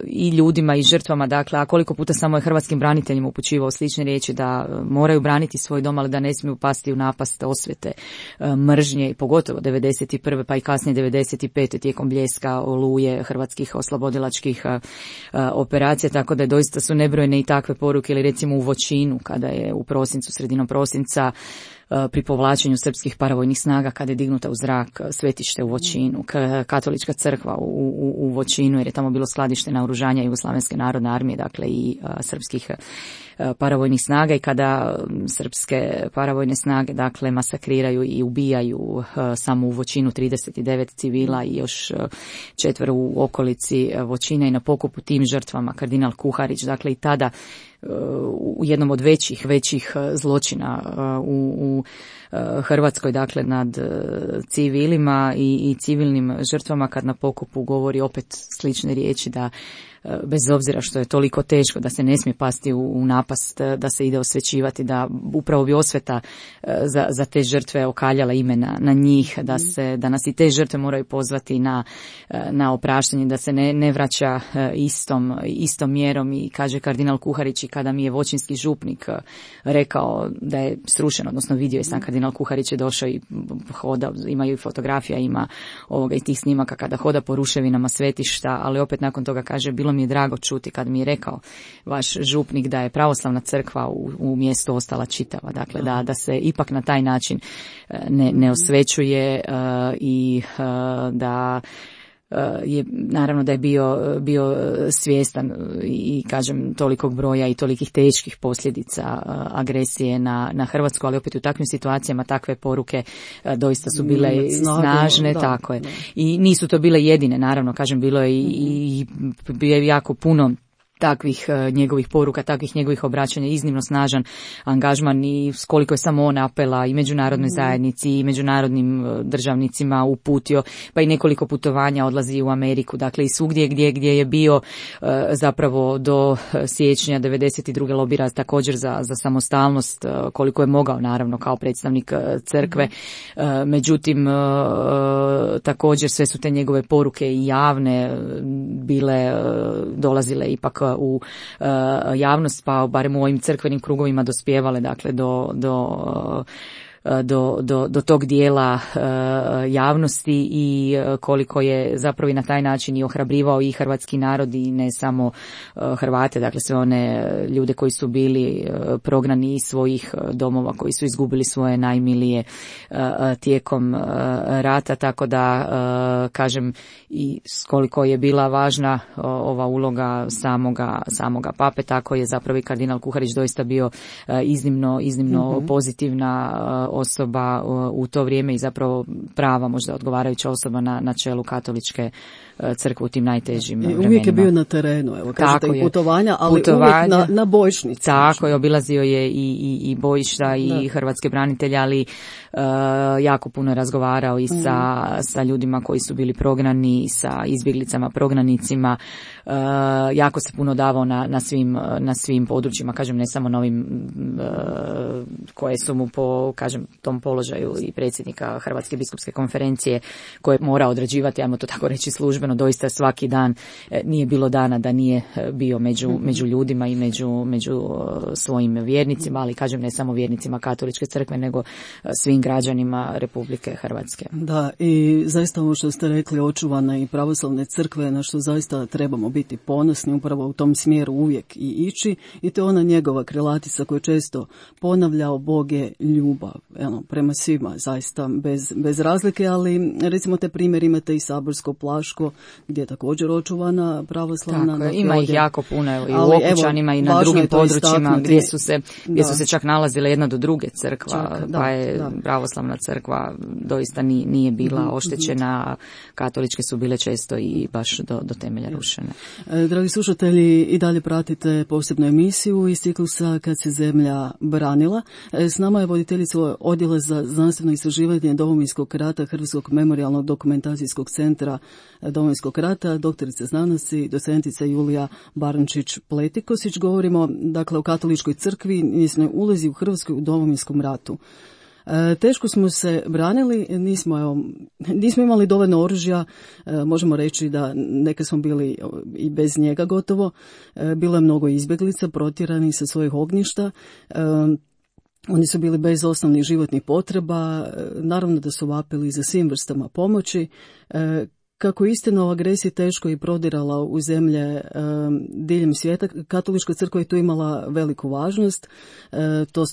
i ljudima i žrtvama, dakle, a koliko puta samo je hrvatskim braniteljima upućivao slične riječi da moraju braniti svoj dom, ali da ne smiju pasti u napast osvete, mržnje, i pogotovo 91. pa i kasnije 95. tijekom Bljeska, Oluje, hrvatskih oslobodilačkih operacija, tako da doista su nebrojene i takve poruke. Ili recimo u Voćinu, kada je u prosincu, sredinom prosinca, pri povlačenju srpskih paravojnih snaga kada je dignuta u zrak svetište u Voćinu, katolička crkva u Voćinu, jer je tamo bilo skladište naoružanja Jugoslavenske narodne armije, dakle i srpskih paravojnih snaga, i kada srpske paravojne snage dakle masakriraju i ubijaju samo u Voćinu 39 civila i još 4 u okolici Voćina, i na pokopu tim žrtvama kardinal Kuharić, dakle i tada u jednom od većih zločina u Hrvatskoj, dakle nad civilima i civilnim žrtvama, kad na pokopu govori opet slične riječi da bez obzira što je toliko teško, da se ne smije pasti u napast, da se ide osvećivati, da upravo bi osveta za te žrtve okaljala ime na njih, da nas i te žrtve moraju pozvati na opraštanje, da se ne vraća istom mjerom. I kaže kardinal Kuharić, i kada mi je voćinski župnik rekao da je srušen, odnosno vidio je sam kardinal Kuharić je došao i hoda, imaju i fotografija, ima ovoga i tih snimaka kada hoda po ruševinama svetišta, ali opet nakon toga kaže, bilo mi je drago čuti kad mi je rekao vaš župnik da je pravoslavna crkva u mjestu ostala čitava, dakle da se ipak na taj način ne osvećuje i da je naravno da je bio svjestan i kažem tolikog broja i tolikih teških posljedica agresije na Hrvatsku, ali opet u takvim situacijama takve poruke doista su bile snažne, tako je. I nisu to bile jedine, naravno, kažem, bilo je i jako puno takvih njegovih poruka, takvih njegovih obraćanja, iznimno snažan angažman i koliko je samo on apela i međunarodnoj zajednici i međunarodnim državnicima uputio, pa i nekoliko putovanja odlazi u Ameriku, dakle i svugdje gdje je bio zapravo do siječnja 92. lobira također za samostalnost koliko je mogao, naravno kao predstavnik crkve. Međutim, također sve su te njegove poruke i javne bile, dolazile ipak u javnost, pa barem u ovim crkvenim krugovima dospijevale, dakle do tog dijela javnosti, i koliko je zapravo i na taj način i ohrabrivao i hrvatski narod i ne samo Hrvate, dakle sve one ljude koji su bili prognani iz svojih domova, koji su izgubili svoje najmilije tijekom rata, tako da kažem i koliko je bila važna ova uloga samoga pape, tako je zapravo i kardinal Kuharić doista bio iznimno pozitivna osoba u to vrijeme i zapravo prava, možda odgovarajuća osoba na čelu katoličke crkve u tim najtežim vremenima. Uvijek je bio na terenu, evo kažete i putovanja, ali uvijek na bojišnici. Tako je, obilazio je i bojišta i hrvatske branitelje, ali jako puno je razgovarao i sa ljudima koji su bili prognani, sa izbjeglicama, prognanicima, jako se puno davao na svim područjima, kažem, ne samo na ovim koje su mu po, kažem, tom položaju i predsjednika Hrvatske biskupske konferencije koje mora određivati, ajmo to tako reći, službeno, doista svaki dan, nije bilo dana da nije bio među ljudima i među svojim vjernicima, ali kažem ne samo vjernicima katoličke crkve, nego svim građanima Republike Hrvatske. Da, i zaista ovo što ste rekli, očuvana i pravoslavne crkve, na što zaista trebamo biti ponosni, upravo u tom smjeru uvijek i ići, i to je ona njegova krilatica koju često ponavljao: Bog je ljubav, prema svima, zaista bez razlike, ali recimo te primjer imate i Saborsko Plaško, gdje je također očuvana pravoslavna. Tako, ima ih jako puno, i u Okučanima i na drugim područjima gdje su se čak nalazile jedna do druge crkva, pa je pravoslavna crkva doista nije bila oštećena, katoličke su bile često i baš do temelja rušene. Dragi slušatelji, i dalje pratite posebnu emisiju iz ciklusa Kad se zemlja branila. S nama je voditeljica Odjela za znanstveno istraživanje Domovinskog rata Hrvatskog memorijalnog dokumentacijskog centra Domovinskog rata, doktorica znanosti, docentica Julija Barančić-Pletikosić. Govorimo dakle o katoličkoj crkvi, njezinoj ulozi u Hrvatskoj u Domovinskom ratu. Teško smo se branili, nismo imali dovoljno oružja, možemo reći da neke smo bili i bez njega gotovo, bilo je mnogo izbjeglica protjeranih sa svojih ognjišta, oni su bili bez osnovnih životnih potreba, naravno da su vapili za svim vrstama pomoći. Kako istina o agresiji teško i prodirala u zemlje diljem svijeta, katolička crkva je tu imala veliku važnost,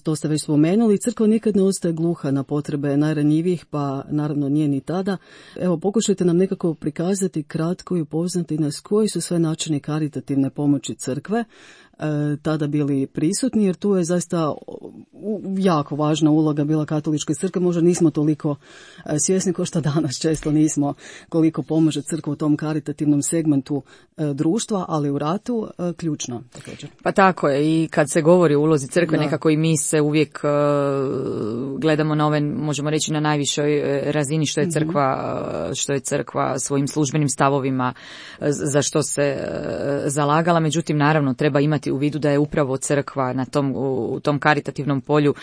to ste već spomenuli. Crkva nikad ne ostaje gluha na potrebe najranjivijih, pa naravno nije ni tada. Evo, pokušajte nam nekako prikazati kratko i upoznati nas koji su sve načini karitativne pomoći crkve tada bili prisutni, jer tu je zaista jako važna uloga bila katoličke crkve. Možda nismo toliko svjesni kao što danas često nismo koliko pomaže crkva u tom karitativnom segmentu društva, ali u ratu ključno također. Pa tako je, i kad se govori o ulozi crkve, nekako i mi se uvijek gledamo na ove, možemo reći, na najvišoj razini što je crkva svojim službenim stavovima za što se zalagala. Međutim, naravno, treba imati u vidu da je upravo crkva u tom karitativnom polju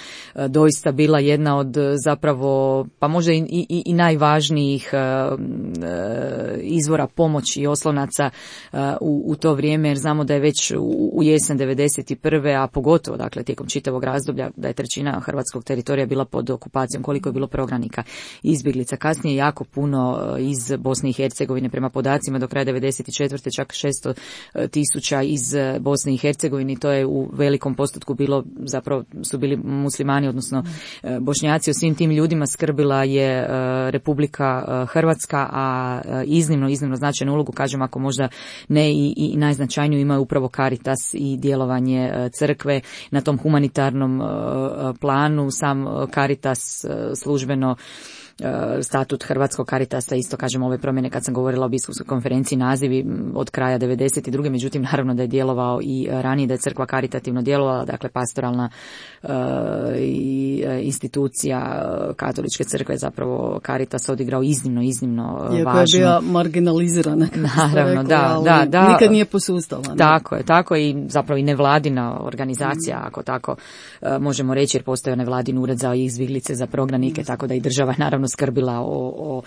doista bila jedna od zapravo, pa možda i najvažnijih izvora pomoći i oslonaca u to vrijeme, jer znamo da je već u jesen 91. a pogotovo dakle tijekom čitavog razdoblja da je trećina hrvatskog teritorija bila pod okupacijom, koliko je bilo prognanika i izbjeglica. Kasnije jako puno iz Bosne i Hercegovine, prema podacima do kraja 94. čak 600.000 iz Bosne i Hercegovine, to je u velikom postotku bilo, zapravo su bili muslimani, odnosno Bošnjaci. O svim tim ljudima skrbila je Republika Hrvatska, a iznimno značajnu ulogu, kažem, ako možda ne i najznačajniju, imaju upravo Caritas i djelovanje crkve na tom humanitarnom planu. Sam Caritas službeno, statut Hrvatskog Caritasa, isto kažem ove promjene kad sam govorila o biskupskoj konferenciji, nazivi od kraja 92. Međutim, naravno da je djelovao i ranije, da je crkva karitativno djelovala, dakle pastoralna institucija katoličke crkve, zapravo Caritas odigrao iznimno važno. Iako je bila marginalizirana, naravno, da. Nikad nije posustala. Tako i zapravo i nevladina organizacija, ako tako možemo reći, jer postoji nevladin ured za izbjeglice, za prognanike, tako da i država naravno skrbila o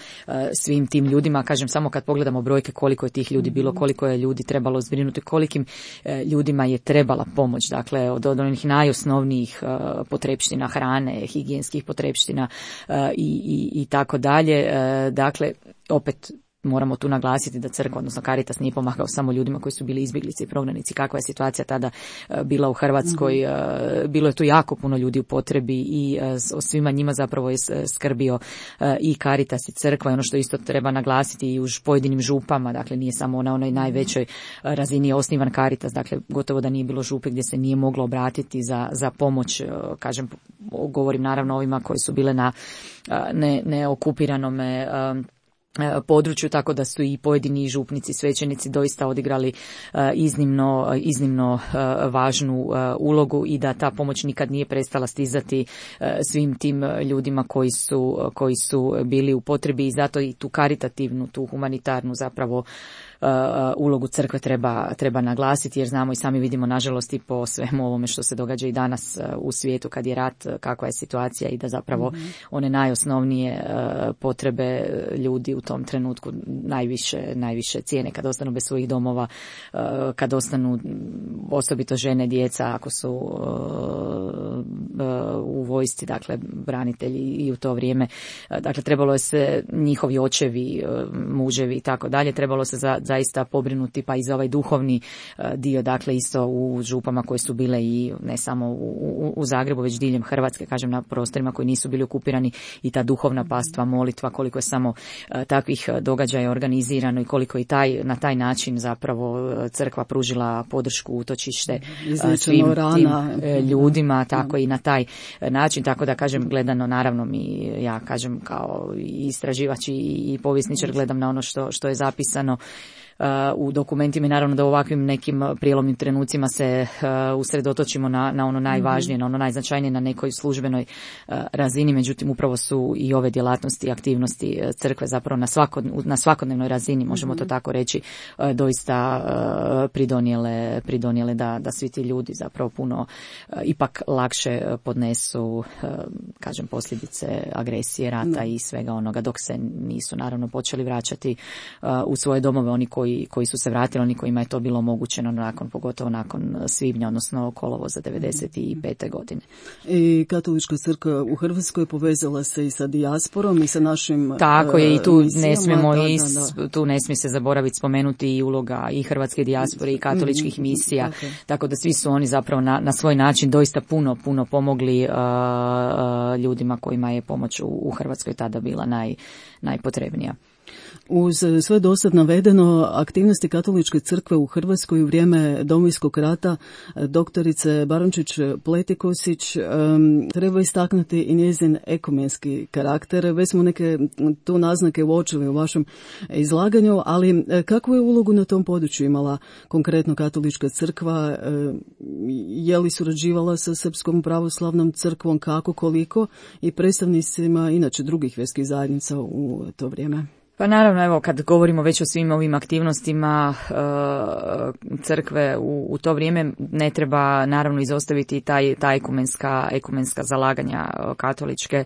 svim tim ljudima. Kažem, samo kad pogledamo brojke koliko je tih ljudi bilo, koliko je ljudi trebalo zbrinuti, kolikim ljudima je trebala pomoć, dakle od onih najosnovnijih potrepština, hrane, higijenskih potrepština i tako dalje. Dakle, opet moramo tu naglasiti da crkva, odnosno Caritas, nije pomagao samo ljudima koji su bili izbjeglice i prognanici. Kakva je situacija tada bila u Hrvatskoj? Bilo je tu jako puno ljudi u potrebi i o svima njima zapravo je skrbio i Caritas i crkva. I ono što isto treba naglasiti, i u pojedinim župama, dakle nije samo na onoj najvećoj razini osnivan Caritas, dakle gotovo da nije bilo župe gdje se nije moglo obratiti za pomoć. Kažem, govorim naravno ovima koji su bile na neokupiranome području, tako da su i pojedini župnici, svećenici doista odigrali iznimno važnu ulogu i da ta pomoć nikad nije prestala stizati svim tim ljudima koji su bili u potrebi, i zato i tu karitativnu, tu humanitarnu zapravo ulogu crkve treba naglasiti, jer znamo i sami vidimo, nažalost, i po svemu ovome što se događa i danas u svijetu kad je rat, kakva je situacija, i da zapravo one najosnovnije potrebe ljudi u tom trenutku najviše cijene kad ostanu bez svojih domova, kad ostanu osobito žene, djeca, ako su u vojsci, dakle branitelji i u to vrijeme. Dakle, trebalo je se, njihovi očevi, muževi i tako dalje, trebalo se zaista pobrinuti pa i za ovaj duhovni dio, dakle isto u župama koje su bile i ne samo u Zagrebu, već diljem Hrvatske, kažem, na prostorima koji nisu bili okupirani, i ta duhovna pastva, molitva, koliko je samo takvih događaja organizirano i koliko i na taj način zapravo crkva pružila podršku, utočište svim tim ljudima, tako i na taj način, tako da kažem, gledano naravno ja kažem kao istraživač i povjesničar gledam na ono što je zapisano u dokumentima, i naravno da u ovakvim nekim prijelomnim trenucima se usredotočimo na ono najvažnije, na ono najznačajnije, na nekoj službenoj razini. Međutim, upravo su i ove djelatnosti i aktivnosti crkve zapravo na svakodnevnoj razini, možemo to tako reći, doista pridonijele da svi ti ljudi zapravo puno ipak lakše podnesu, kažem, posljedice agresije, rata i svega onoga, dok se nisu naravno počeli vraćati u svoje domove oni koji koji su se vratili, oni kojima je to bilo omogućeno pogotovo nakon svibnja, odnosno kolovoza 95. godine. I katolička crkva u Hrvatskoj povezala se i sa dijasporom i sa našim tako je, i tu ne smijemo tu ne smije se zaboraviti spomenuti i uloga i hrvatske dijaspore i katoličkih misija, tako da svi su oni zapravo na svoj način doista puno pomogli ljudima kojima je pomoć u Hrvatskoj tada bila najpotrebnija. Uz sve dosad navedeno, aktivnosti katoličke crkve u Hrvatskoj u vrijeme Domovinskog rata, doktorice Barončić-Pletikosić, treba istaknuti i njezin ekumenski karakter. Već smo neke tu naznake uočili u vašem izlaganju, ali kakvu je ulogu na tom području imala konkretno katolička crkva? Je li surađivala sa Srpskom pravoslavnom crkvom, kako, koliko, i predstavnicima inače drugih vjerskih zajednica u to vrijeme? Pa naravno, evo, kad govorimo već o svim ovim aktivnostima crkve u to vrijeme, ne treba naravno izostaviti ta ekumenska zalaganja katoličke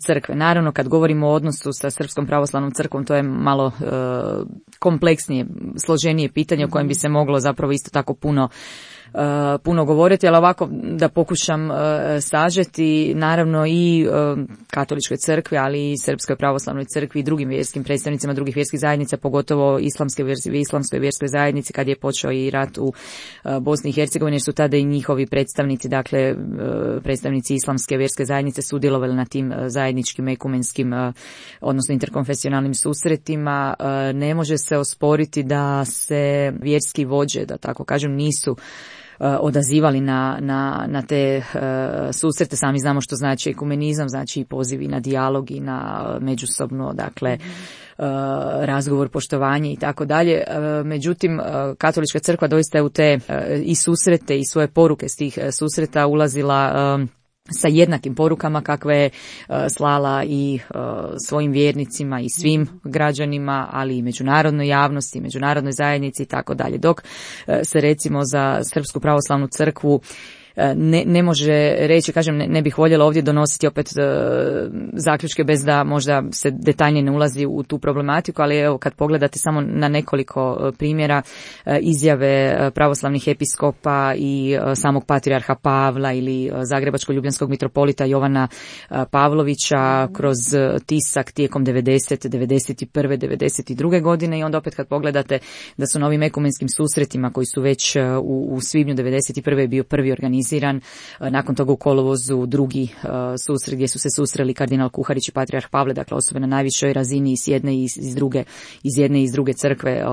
crkve. Naravno, kad govorimo o odnosu sa Srpskom pravoslavnom crkvom, to je malo kompleksnije, složenije pitanje o kojem bi se moglo zapravo isto tako puno govoriti, ali ovako da pokušam sažeti, naravno i katoličkoj crkvi, ali i Srpskoj pravoslavnoj crkvi i drugim vjerskim predstavnicima drugih vjerskih zajednica, pogotovo islamskoj vjerskoj zajednici kad je počeo i rat u Bosni i Hercegovini, jer su tada i njihovi predstavnici, dakle predstavnici islamske vjerske zajednice sudjelovali na tim zajedničkim ekumenskim, odnosno interkonfesionalnim susretima. Ne može se osporiti da se vjerski vođe, da tako kažem, nisu odazivali na te susrete. Sami znamo što znači ekumenizam, znači i pozivi na dijalog i na međusobno, dakle, razgovor, poštovanje i tako dalje. Međutim, katolička crkva doista je u te i susrete i svoje poruke s tih susreta ulazila sa jednakim porukama kakve je slala i svojim vjernicima i svim građanima, ali i međunarodnoj javnosti, međunarodnoj zajednici i tako dalje. Dok se recimo za Srpsku pravoslavnu crkvu ne može reći, kažem, ne bih voljela ovdje donositi opet zaključke bez da možda se detaljnije ne ulazi u tu problematiku, ali evo kad pogledate samo na nekoliko primjera izjave pravoslavnih episkopa i samog patrijarha Pavla ili zagrebačko-ljubljanskog mitropolita Jovana Pavlovića kroz tisak tijekom 90., 91., 92. godine, i onda opet kad pogledate da su na ovim ekumenskim susretima koji su već u svibnju 91. bio prvi organiziran, nakon toga u kolovozu drugi susret gdje su se susreli kardinal Kuharić i patrijarh Pavle, dakle osobe na najvišoj razini iz jedne i iz druge crkve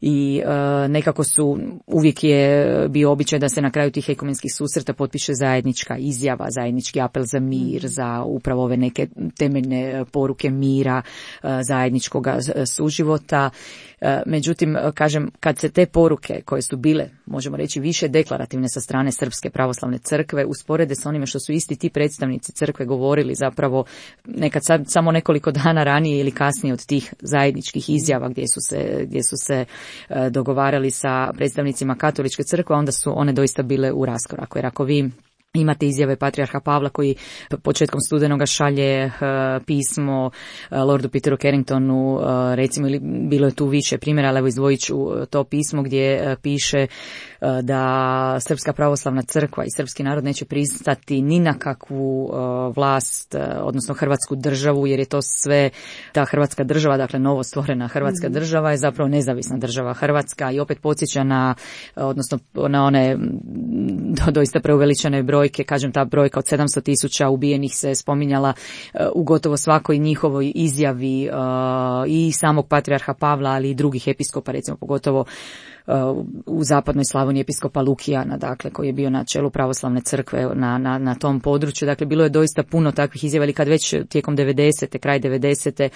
i nekako su, uvijek je bio običaj da se na kraju tih ekumenskih susreta potpiše zajednička izjava, zajednički apel za mir, za upravo ove neke temeljne poruke mira, zajedničkog suživota. Međutim, kažem, kad se te poruke koje su bile, možemo reći, više deklarativne sa strane Srpske pravoslavne crkve usporede s onime što su isti ti predstavnici crkve govorili nekad samo nekoliko dana ranije ili kasnije od tih zajedničkih izjava gdje su se dogovarali sa predstavnicima katoličke crkve, onda su one doista bile u raskoraku. Jer ako vi imate izjave patrijarha Pavla koji početkom studenoga šalje pismo Lordu Peteru Carringtonu, recimo, ili bilo je tu više primjera, ali evo izdvojit ću to pismo gdje piše da Srpska pravoslavna crkva i srpski narod neće pristati ni na kakvu vlast, odnosno Hrvatsku državu, jer je to sve ta Hrvatska država, dakle novo stvorena Hrvatska država je zapravo nezavisna država Hrvatska, i opet podsjeća na one doista preuveličane brojke, kažem, ta brojka od 700.000 ubijenih se spominjala u gotovo svakoj njihovoj izjavi i samog patrijarha Pavla, ali i drugih episkopa, recimo pogotovo u zapadnoj Slavoniji episkopa Lukijana, dakle, koji je bio na čelu pravoslavne crkve na tom području. Dakle, bilo je doista puno takvih izjava, ali kad već tijekom 90. kraj 90.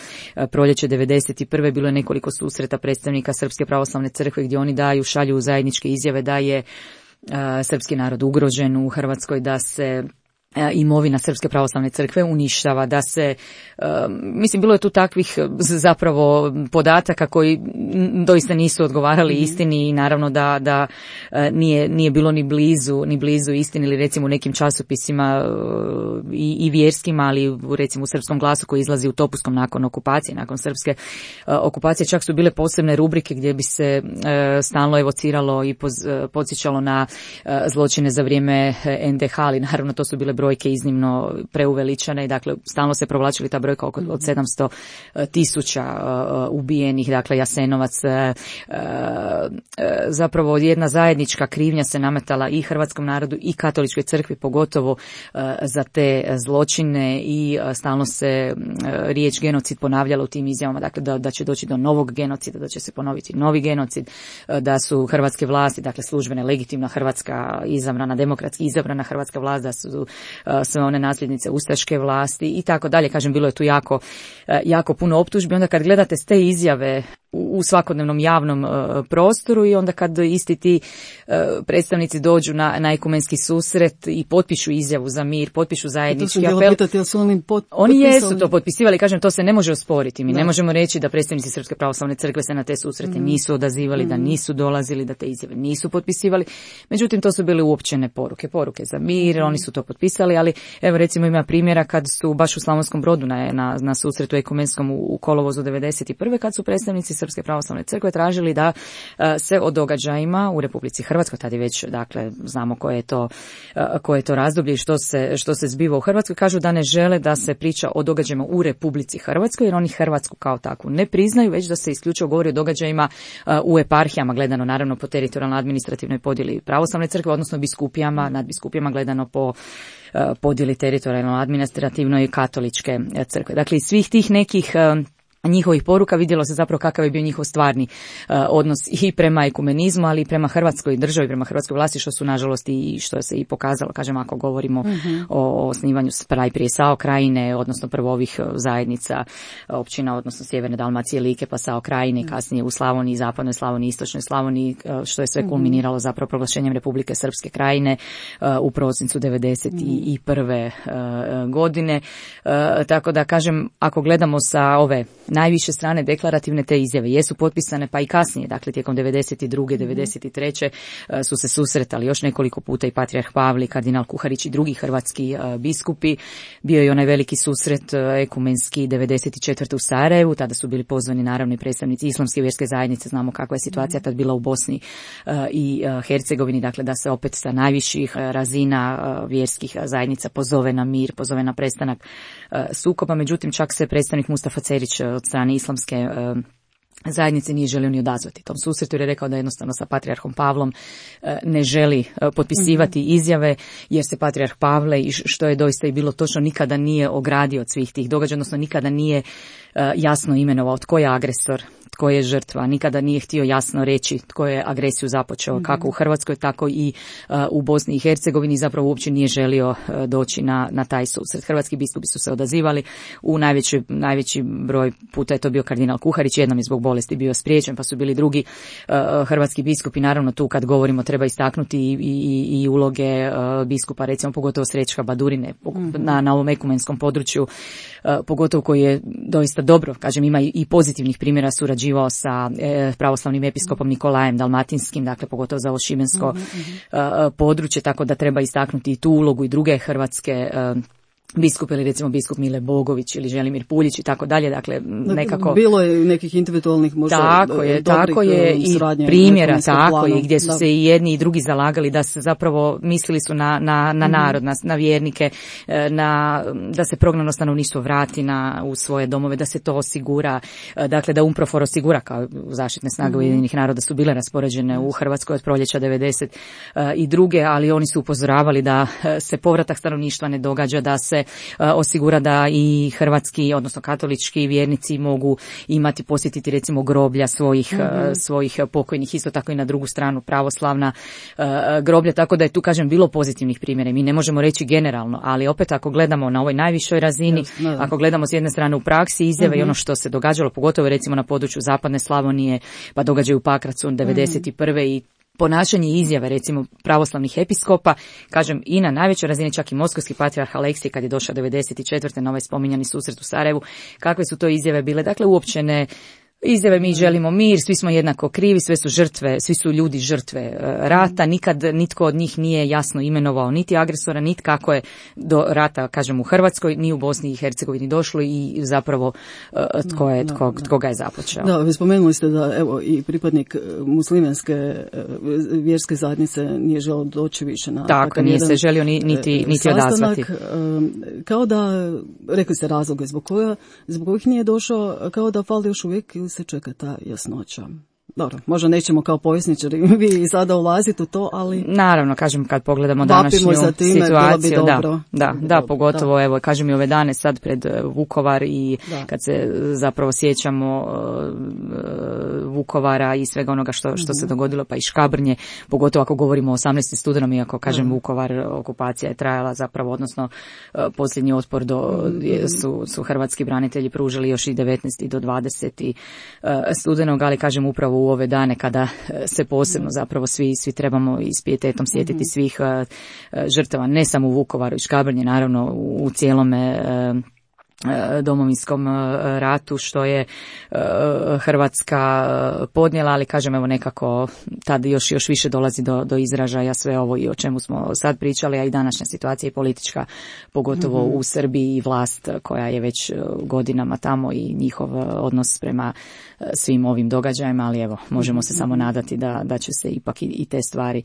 proljeće 91. bilo je nekoliko susreta predstavnika Srpske pravoslavne crkve gdje oni šalju zajedničke izjave da je srpski narod ugrožen u Hrvatskoj, da se imovina Srpske pravoslavne crkve uništava, da se, mislim, bilo je tu takvih zapravo podataka koji doista nisu odgovarali istini i naravno da nije bilo ni blizu istini, ili recimo u nekim časopisima i vjerskima, ali recimo u Srpskom glasu koji izlazi u Topuskom nakon okupacije, nakon srpske okupacije, čak su bile posebne rubrike gdje bi se stalno evociralo i podsjećalo na zločine za vrijeme NDH, ali naravno to su bile brojke iznimno preuveličane i dakle stalno se provlačili ta brojka od 700.000 ubijenih, dakle Jasenovac, zapravo jedna zajednička krivnja se nametala i hrvatskom narodu i katoličkoj crkvi, pogotovo za te zločine, i stalno se riječ genocid ponavljala u tim izjavama, dakle da će doći do novog genocida, da će se ponoviti novi genocid, da su hrvatske vlasti, dakle službene, legitimna hrvatska izabrana, demokratski izabrana hrvatska vlast, da su sve one nasljednice ustaške vlasti i tako dalje. Kažem, bilo je tu jako puno optužbi. Onda kad gledate te izjave u svakodnevnom javnom prostoru i onda kad isti ti predstavnici dođu na ekumenski susret i potpišu izjavu za mir, potpišu zajednički apel. Pitati, su oni jesu to potpisivali, kažem, to se ne može osporiti. Mi ne možemo reći da predstavnici Srpske pravoslavne crkve se na te susrete nisu odazivali, da nisu dolazili, da te izjave nisu potpisivali. Međutim, to su bile uopćene poruke za mir, oni su to potpisali, ali evo recimo ima primjera kad su baš u Slavonskom Brodu na susretu ekumenskom u kolovozu 91. kad su predstavnici Srpske pravoslavne crkve tražili da se o događajima u Republici Hrvatskoj, tad je već, dakle, znamo koje je to razdoblje i što se zbiva u Hrvatskoj, kažu da ne žele da se priča o događajima u Republici Hrvatskoj, jer oni Hrvatsku kao takvu ne priznaju, već da se isključivo govori o događajima u eparhijama, gledano naravno po teritorijalno administrativnoj podjeli pravoslavne crkve, odnosno biskupijama, nadbiskupijama gledano po podjeli teritorijalno administrativnoj i katoličke crkve. Dakle, iz svih tih nekih njihovih poruka vidjelo se zapravo kakav je bio njihov stvarni odnos i prema ekumenizmu, ali i prema Hrvatskoj državi, prema hrvatskoj vlasti, što su nažalost i što se i pokazalo, kažem, ako govorimo o osnivanju prije SAO Krajine, odnosno prvo ovih zajednica općina, odnosno Sjeverne Dalmacije, Like, pa SAO Krajine, kasnije u Slavoniji, Zapadnoj Slavoniji, Istočnoj Slavoniji, što je sve kulminiralo zapravo proglašenjem Republike Srpske Krajine u prosincu 91. godine. Tako da, kažem, ako gledamo sa ove najviše strane deklarativne, te izjave jesu potpisane, pa i kasnije, dakle tijekom 92. 93. su se susretali još nekoliko puta i patrijarh Pavle, kardinal Kuharić i drugi hrvatski biskupi. Bio je onaj veliki susret ekumenski 94. u Sarajevu, tada su bili pozvani naravno i predstavnici islamske vjerske zajednice, znamo kakva je situacija tad bila u Bosni i Hercegovini, dakle da se opet sa najviših razina vjerskih zajednica pozove na mir, pozove na prestanak sukoba. Međutim, čak se predstavnik Mustafa Cerić od strane islamske zajednice nije želio ni odazvati tom susretu, jer je rekao da jednostavno sa patrijarhom Pavlom ne želi potpisivati izjave, jer se patrijarh Pavle, i što je doista i bilo točno, nikada nije ogradio od svih tih događaja, odnosno nikada nije jasno imenovao tko je agresor, tko je žrtva, nikada nije htio jasno reći tko je agresiju započeo, kako u Hrvatskoj, tako i u Bosni i Hercegovini, zapravo uopće nije želio doći na taj susret. Hrvatski biskupi su se odazivali, u najveći broj puta je to bio kardinal Kuharić, jednom je zbog bolesti bio spriječen, pa su bili drugi hrvatski biskupi. Naravno, tu kad govorimo treba istaknuti i uloge biskupa, recimo pogotovo Srećka Badurine na ovom ekumenskom području, pogotovo koji je doista dobro, kažem, ima i pozitivnih primjera, surađivao sa pravoslavnim episkopom Nikolajem Dalmatinskim, dakle pogotovo za ovo šibensko područje, tako da treba istaknuti i tu ulogu i druge hrvatske biskup, ili recimo biskup Mile Bogović ili Želimir Puljić i tako dalje, dakle nekako bilo je nekih individualnih možda tako je i primjera, tako je, gdje su se i jedni i drugi zalagali da se zapravo mislili su na narod, na vjernike, da se prognano stanovništvo vrati u svoje domove, da se to osigura, dakle da UNPROFOR osigura, kao zaštitne snage Ujedinjenih naroda su bile raspoređene u Hrvatskoj od proljeća 92. ali oni su upozoravali da se povratak stanovništva ne događa, da se osigura da i hrvatski, odnosno katolički vjernici mogu posjetiti recimo groblja svojih pokojnih, isto tako i na drugu stranu pravoslavna groblja, tako da je tu, kažem, bilo pozitivnih primjera. Mi ne možemo reći generalno, ali opet ako gledamo na ovoj najvišoj razini, ako gledamo s jedne strane u praksi izjave i ono što se događalo, pogotovo recimo na području Zapadne Slavonije, pa događaju u Pakracu 91. i ponašanje i izjave recimo pravoslavnih episkopa, kažem i na najvećoj razini, čak i moskovski patrijarh Aleksij kad je došao 94. na ovaj spominjani susret u Sarajevu, kakve su to izjave bile, dakle uopćene izjave mi želimo mir, svi smo jednako krivi, sve su žrtve, svi su ljudi žrtve rata, nikad nitko od njih nije jasno imenovao niti agresora, niti kako je do rata, kažem, u Hrvatskoj, ni u Bosni i Hercegovini došlo i zapravo tko ga je započeo. Da, vi spomenuli ste da evo i pripadnik muslimanske vjerske zajednice nije želio doći više na tako, nije se želio niti odazvati. Kao da, rekli ste razloge zbog kojih nije došao, kao da fali još uvijek ili se čeka ta jasnoća. Dobro, možda nećemo kao povjesničari vi i sada ulaziti u to, ali... Naravno, kažem, kad pogledamo današnju situaciju, da, pogotovo, evo, kažem i ove dane sad pred Vukovar i kad se zapravo sjećamo Vukovara i svega onoga što se dogodilo, pa i Škabrnje, pogotovo ako govorimo o 18. studenom, iako, kažem, Vukovar, okupacija je trajala zapravo, odnosno posljednji otpor su hrvatski branitelji pružili još i 19. do 20. studenog, ali, kažem, upravo u ove dane kada se posebno zapravo svi trebamo i s pijetetom sjetiti svih žrtava, ne samo u Vukovaru i Škabrnje, naravno u cijelome Domovinskom ratu što je Hrvatska podnijela, ali kažem evo nekako tad još više dolazi do izražaja sve ovo i o čemu smo sad pričali, a i današnja situacija i politička, pogotovo u Srbiji i vlast koja je već godinama tamo i njihov odnos prema svim ovim događajima, ali evo možemo se samo nadati da će se ipak i te stvari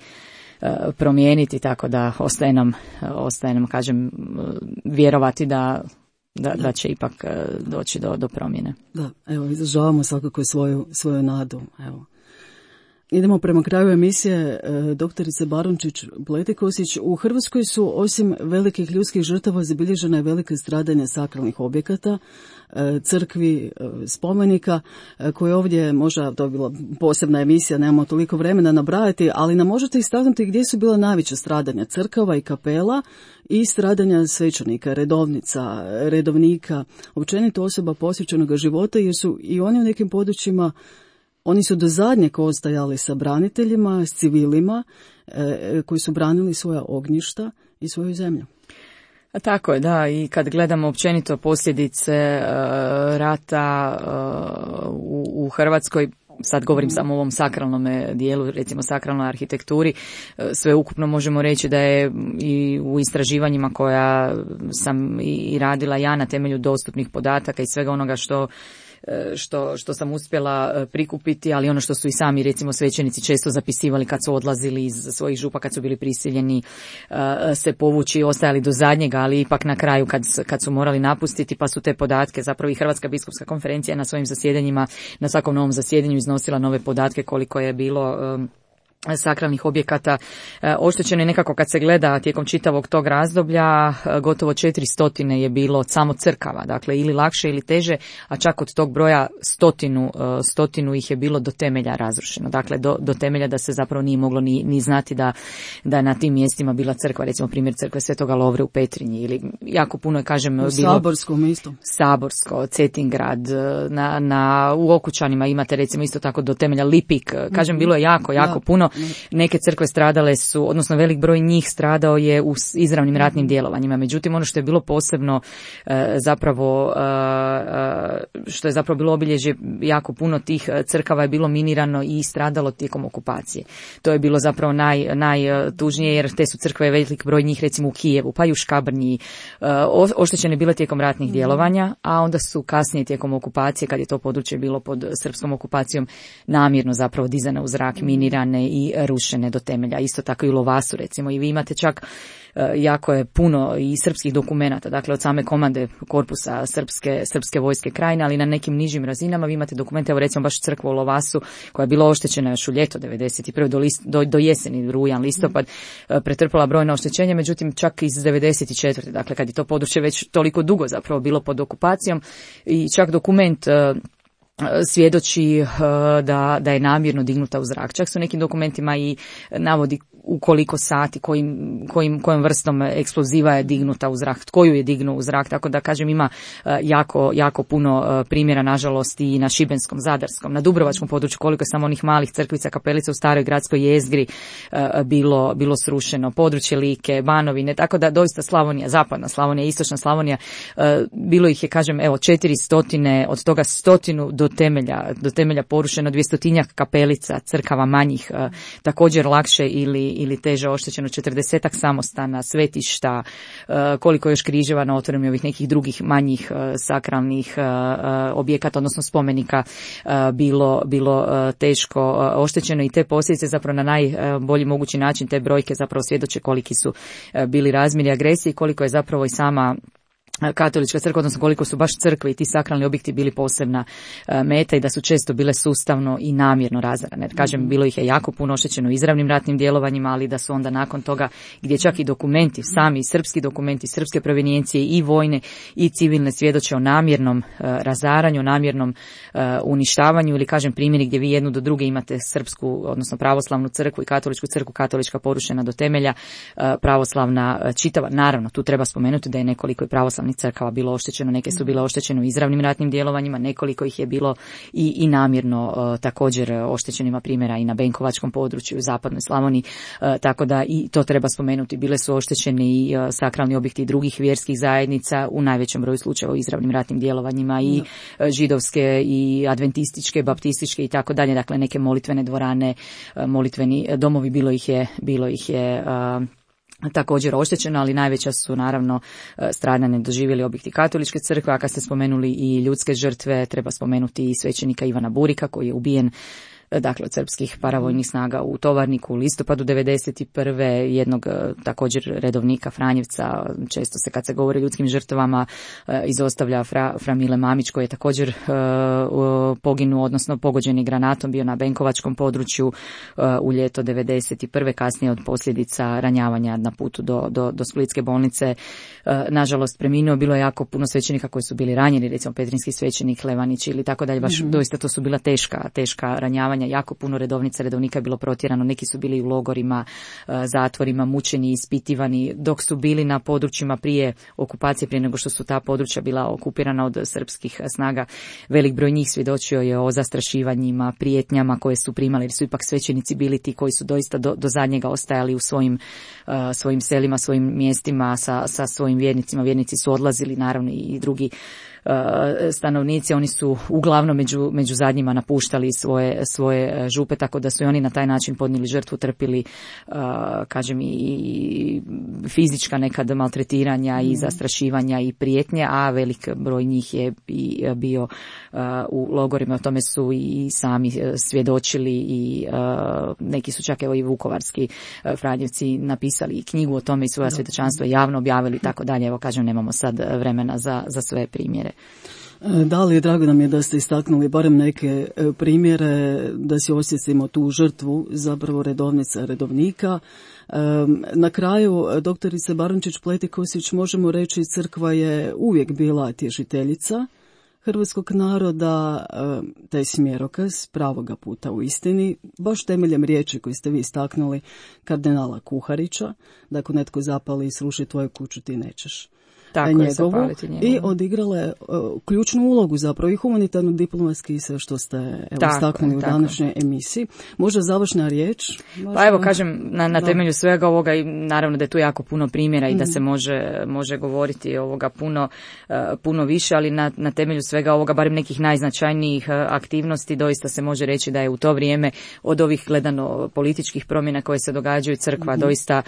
promijeniti, tako da ostaje nam kažem vjerovati da će ipak doći do promjene. Da, evo, izražavamo svakako svoju nadu. Evo. Idemo prema kraju emisije. Doktorice Barončić-Pletikosić, u Hrvatskoj su osim velikih ljudskih žrtava zabilježena je velike stradanja sakralnih objekata, crkvi, spomenika, koje ovdje možda to je bila posebna emisija, nemamo toliko vremena nabrajati, ali nam možete istaknuti gdje su bila najveća stradanja crkava i kapela i stradanja svećenika, redovnica, redovnika, općenito osoba posvećenog života, jer su i oni u nekim područjima, oni su do zadnjeg ostajali sa braniteljima, s civilima koji su branili svoja ognjišta i svoju zemlju. Tako je, da, i kad gledamo općenito posljedice rata u Hrvatskoj, sad govorim samo o ovom sakralnom dijelu, recimo sakralnoj arhitekturi, sve ukupno možemo reći da je i u istraživanjima koja sam i radila ja na temelju dostupnih podataka i svega onoga što sam uspjela prikupiti, ali ono što su i sami recimo svećenici često zapisivali kad su odlazili iz svojih župa, kad su bili prisiljeni se povući, ostajali do zadnjega, ali ipak na kraju kad su morali napustiti, pa su te podatke, zapravo i Hrvatska biskupska konferencija na svojim zasjedanjima, na svakom novom zasjedanju iznosila nove podatke koliko je bilo sakralnih objekata oštećeno, i nekako kad se gleda tijekom čitavog tog razdoblja gotovo 400 je bilo samo crkava, dakle ili lakše ili teže, a čak od tog broja stotinu ih je bilo do temelja razrušeno, dakle do temelja da se zapravo nije moglo ni znati da je na tim mjestima bila crkva, recimo primjer crkve Svetoga Lovre u Petrinji, ili jako puno je, kažem, bilo Saborskom isto. Saborsko, Cetingrad, u Okučanima imate recimo isto tako do temelja Lipik, kažem, bilo je jako puno. Neke crkve stradale su, odnosno velik broj njih stradao je u izravnim ratnim djelovanjima. Međutim, ono što je bilo posebno zapravo, što je zapravo bilo obilježje, jako puno tih crkava je bilo minirano i stradalo tijekom okupacije. To je bilo zapravo najtužnije, jer te su crkve, velik broj njih recimo u Kijevu, pa i u Škabrnji, oštećene bile tijekom ratnih djelovanja, a onda su kasnije tijekom okupacije, kad je to područje bilo pod srpskom okupacijom, namjerno zapravo dizane u zrak, minirane i rušene do temelja. Isto tako i u Lovasu recimo, i vi imate čak jako je puno i srpskih dokumenata, dakle od same komande korpusa srpske vojske Krajine, ali na nekim nižim razinama vi imate dokumente, evo recimo baš crkva u Lovasu koja je bila oštećena još u ljeto 91. do jeseni, rujan, listopad, pretrpala brojna oštećenja, međutim čak iz 94. dakle kad je to područje već toliko dugo zapravo bilo pod okupacijom, i čak dokument svjedoči da je namjerno dignuta u zrak. Čak su nekim dokumentima i navodi u koliko sati, kojom vrstom eksploziva je dignuta u zrak, tko ju je dignuo u zrak, tako da kažem ima jako puno primjera, nažalost i na šibenskom, zadarskom, na dubrovačkom području, koliko je samo onih malih crkvica, kapelica u staroj gradskoj jezgri bilo srušeno, područje Like, Banovine, tako da doista Slavonija, zapadna Slavonija, istočna Slavonija, bilo ih je, kažem, evo 400, od toga 100 do temelja porušeno, 200 kapelica, crkava manjih, također lakše ili teže oštećeno, 40 samostana, svetišta, koliko još križeva na otvorenim ovih nekih drugih manjih sakralnih objekata, odnosno spomenika bilo teško oštećeno, i te posljedice zapravo na najbolji mogući način, te brojke zapravo svjedoče koliki su bili razmjeri agresije i koliko je zapravo i sama katolička crkva, odnosno koliko su baš crkve i ti sakralni objekti bili posebna meta i da su često bile sustavno i namjerno razarane. Kažem, bilo ih je jako puno oštećeno izravnim ratnim djelovanjima, ali da su onda nakon toga, gdje čak i dokumenti, sami srpski dokumenti, srpske provenijencije i vojne i civilne svjedoče o namjernom razaranju, namjernom uništavanju, ili kažem primjeri gdje vi jednu do druge imate srpsku, odnosno pravoslavnu crkvu i katoličku crkvu, katolička porušena do temelja, pravoslavna čitava. Naravno, tu treba spomenuti da je nekoliko i pravoslavnih crkava bilo oštećeno, neke su bile oštećene u izravnim ratnim djelovanjima, nekoliko ih je bilo i namjerno također oštećenima, primjera i na Benkovačkom području, u zapadnoj Slavoniji, tako da i to treba spomenuti. Bile su oštećeni i sakralni objekti drugih vjerskih zajednica, u najvećem broju slučajeva u izravnim ratnim djelovanjima, i židovske i adventističke, baptističke i tako dalje, dakle neke molitvene dvorane, molitveni domovi, bilo ih je također oštećeno, ali najveća su naravno stradanje doživjeli objekti katoličke crkve, a kad ste spomenuli i ljudske žrtve, treba spomenuti i svećenika Ivana Burika koji je ubijen dakle od srpskih paravojnih snaga u Tovarniku u listopadu 1991. Jednog također redovnika Franjevca, često se kad se govori o ljudskim žrtvama izostavlja Fra Mile Mamić koji je također poginuo, odnosno pogođeni granatom, bio na Benkovačkom području u ljeto 1991. kasnije od posljedica ranjavanja na putu do Splitske bolnice. Nažalost preminuo, bilo je jako puno svećenika koji su bili ranjeni, recimo Petrinski svećenik Levanić ili tako dalje, baš doista to su bila teška ranjavanja. Jako puno redovnika je bilo protjerano, neki su bili u logorima, zatvorima, mučeni, ispitivani, dok su bili na područjima prije okupacije, prije nego što su ta područja bila okupirana od srpskih snaga. Velik broj njih svjedočio je o zastrašivanjima, prijetnjama koje su primali, jer su ipak svećenici bili ti koji su doista do zadnjega ostajali u svojim selima, svojim mjestima sa svojim vjernicima. Vjernici su odlazili, naravno i drugi stanovnici, oni su uglavnom među zadnjima napuštali svoje župe, tako da su i oni na taj način podnijeli žrtvu, trpili kažem i fizička nekad maltretiranja i zastrašivanja i prijetnje, a velik broj njih je i bio u logorima. O tome su i sami svjedočili i neki su čak evo i vukovarski Franjevci napisali i knjigu o tome i svoja svjedočanstva javno objavili i tako dalje. Evo kažem, nemamo sad vremena za sve primjere. Da li, drago nam je da ste istaknuli barem neke primjere, da si osjetimo tu žrtvu zapravo redovnika. Na kraju, doktorice Barončić-Pletikosić, možemo reći crkva je uvijek bila tješiteljica hrvatskog naroda, taj smjerokaz pravoga puta u istini, baš temeljem riječi koju ste vi istaknuli kardinala Kuharića, da ako netko zapali i sruši tvoju kuću ti nećeš. Tako njegovu i odigrale ključnu ulogu zapravo i humanitarno diplomatski i sve što ste istaknuli u današnjoj emisiji. Možda završna riječ? Pa evo kažem, na temelju svega ovoga i naravno da je tu jako puno primjera i da se može govoriti ovoga puno više, ali na temelju svega ovoga, barem nekih najznačajnijih aktivnosti, doista se može reći da je u to vrijeme od ovih gledano političkih promjena koje se događaju crkva doista,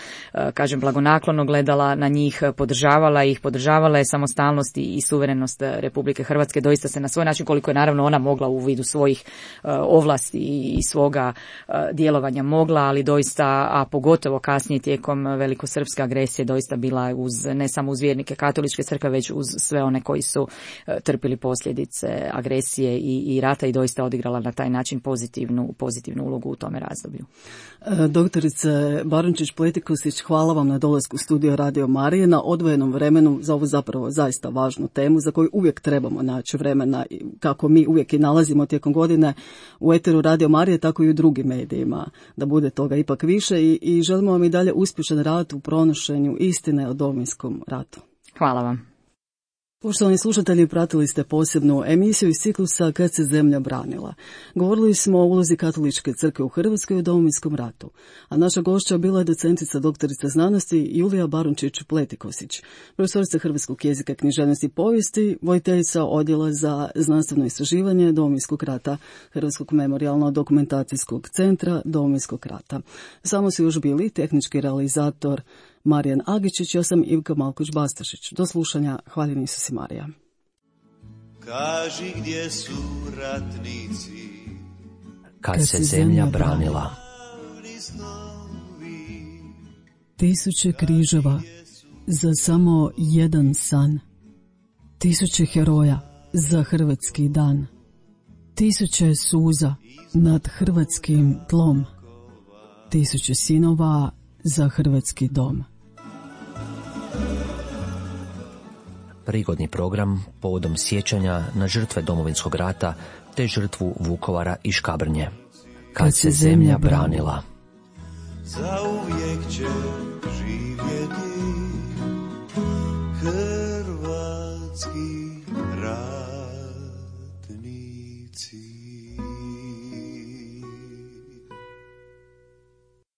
kažem, blagonaklono gledala na njih, podržavala je samostalnost i suverenost Republike Hrvatske, doista se na svoj način, koliko je naravno ona mogla u vidu svojih ovlasti i svoga djelovanja mogla, ali doista, a pogotovo kasnije tijekom velikosrpske agresije, doista bila ne samo uz vjernike katoličke crkve, već uz sve one koji su trpili posljedice agresije i rata i doista odigrala na taj način pozitivnu ulogu u tome razdoblju. Doktorice Barunčić-Pletikošić, hvala vam na dolasku u studio Radio Marije, na odvojenom vremenu za ovu zapravo zaista važnu temu za koju uvijek trebamo naći vremena, kako mi uvijek i nalazimo tijekom godine u eteru Radio Marije, tako i u drugim medijima, da bude toga ipak više i želimo vam i dalje uspješan rad u pronošenju istine o Domovinskom ratu. Hvala vam. Poštovani slušatelji, pratili ste posebnu emisiju iz ciklusa Kad se zemlja branila. Govorili smo o ulozi Katoličke crkve u Hrvatskoj u Domovinskom ratu, a naša gošća bila je docentica doktorica znanosti Julija Barunčić-Pletikošić, profesorica hrvatskog jezika, književnosti i povijesti, voditeljica odjela za znanstveno istraživanje Domovinskog rata Hrvatskog memorijalno-dokumentacijskog centra Domovinskog rata. Samo su još bili tehnički realizator Marijan Agičić, ja sam Ivka Malković-Bastašić. Do slušanja, hvaljen Isus i Marija. Kaži gdje su ratnici, kad se zemlja branila. Tisuće križeva za samo jedan san. Tisuće heroja za hrvatski dan. Tisuće suza nad hrvatskim tlom. Tisuće sinova za hrvatski dom. Prigodni program povodom sjećanja na žrtve Domovinskog rata te žrtvu Vukovara i Škabrnje. Kad se zemlja branila. zauvijek će živjeti hrvatski ratnici.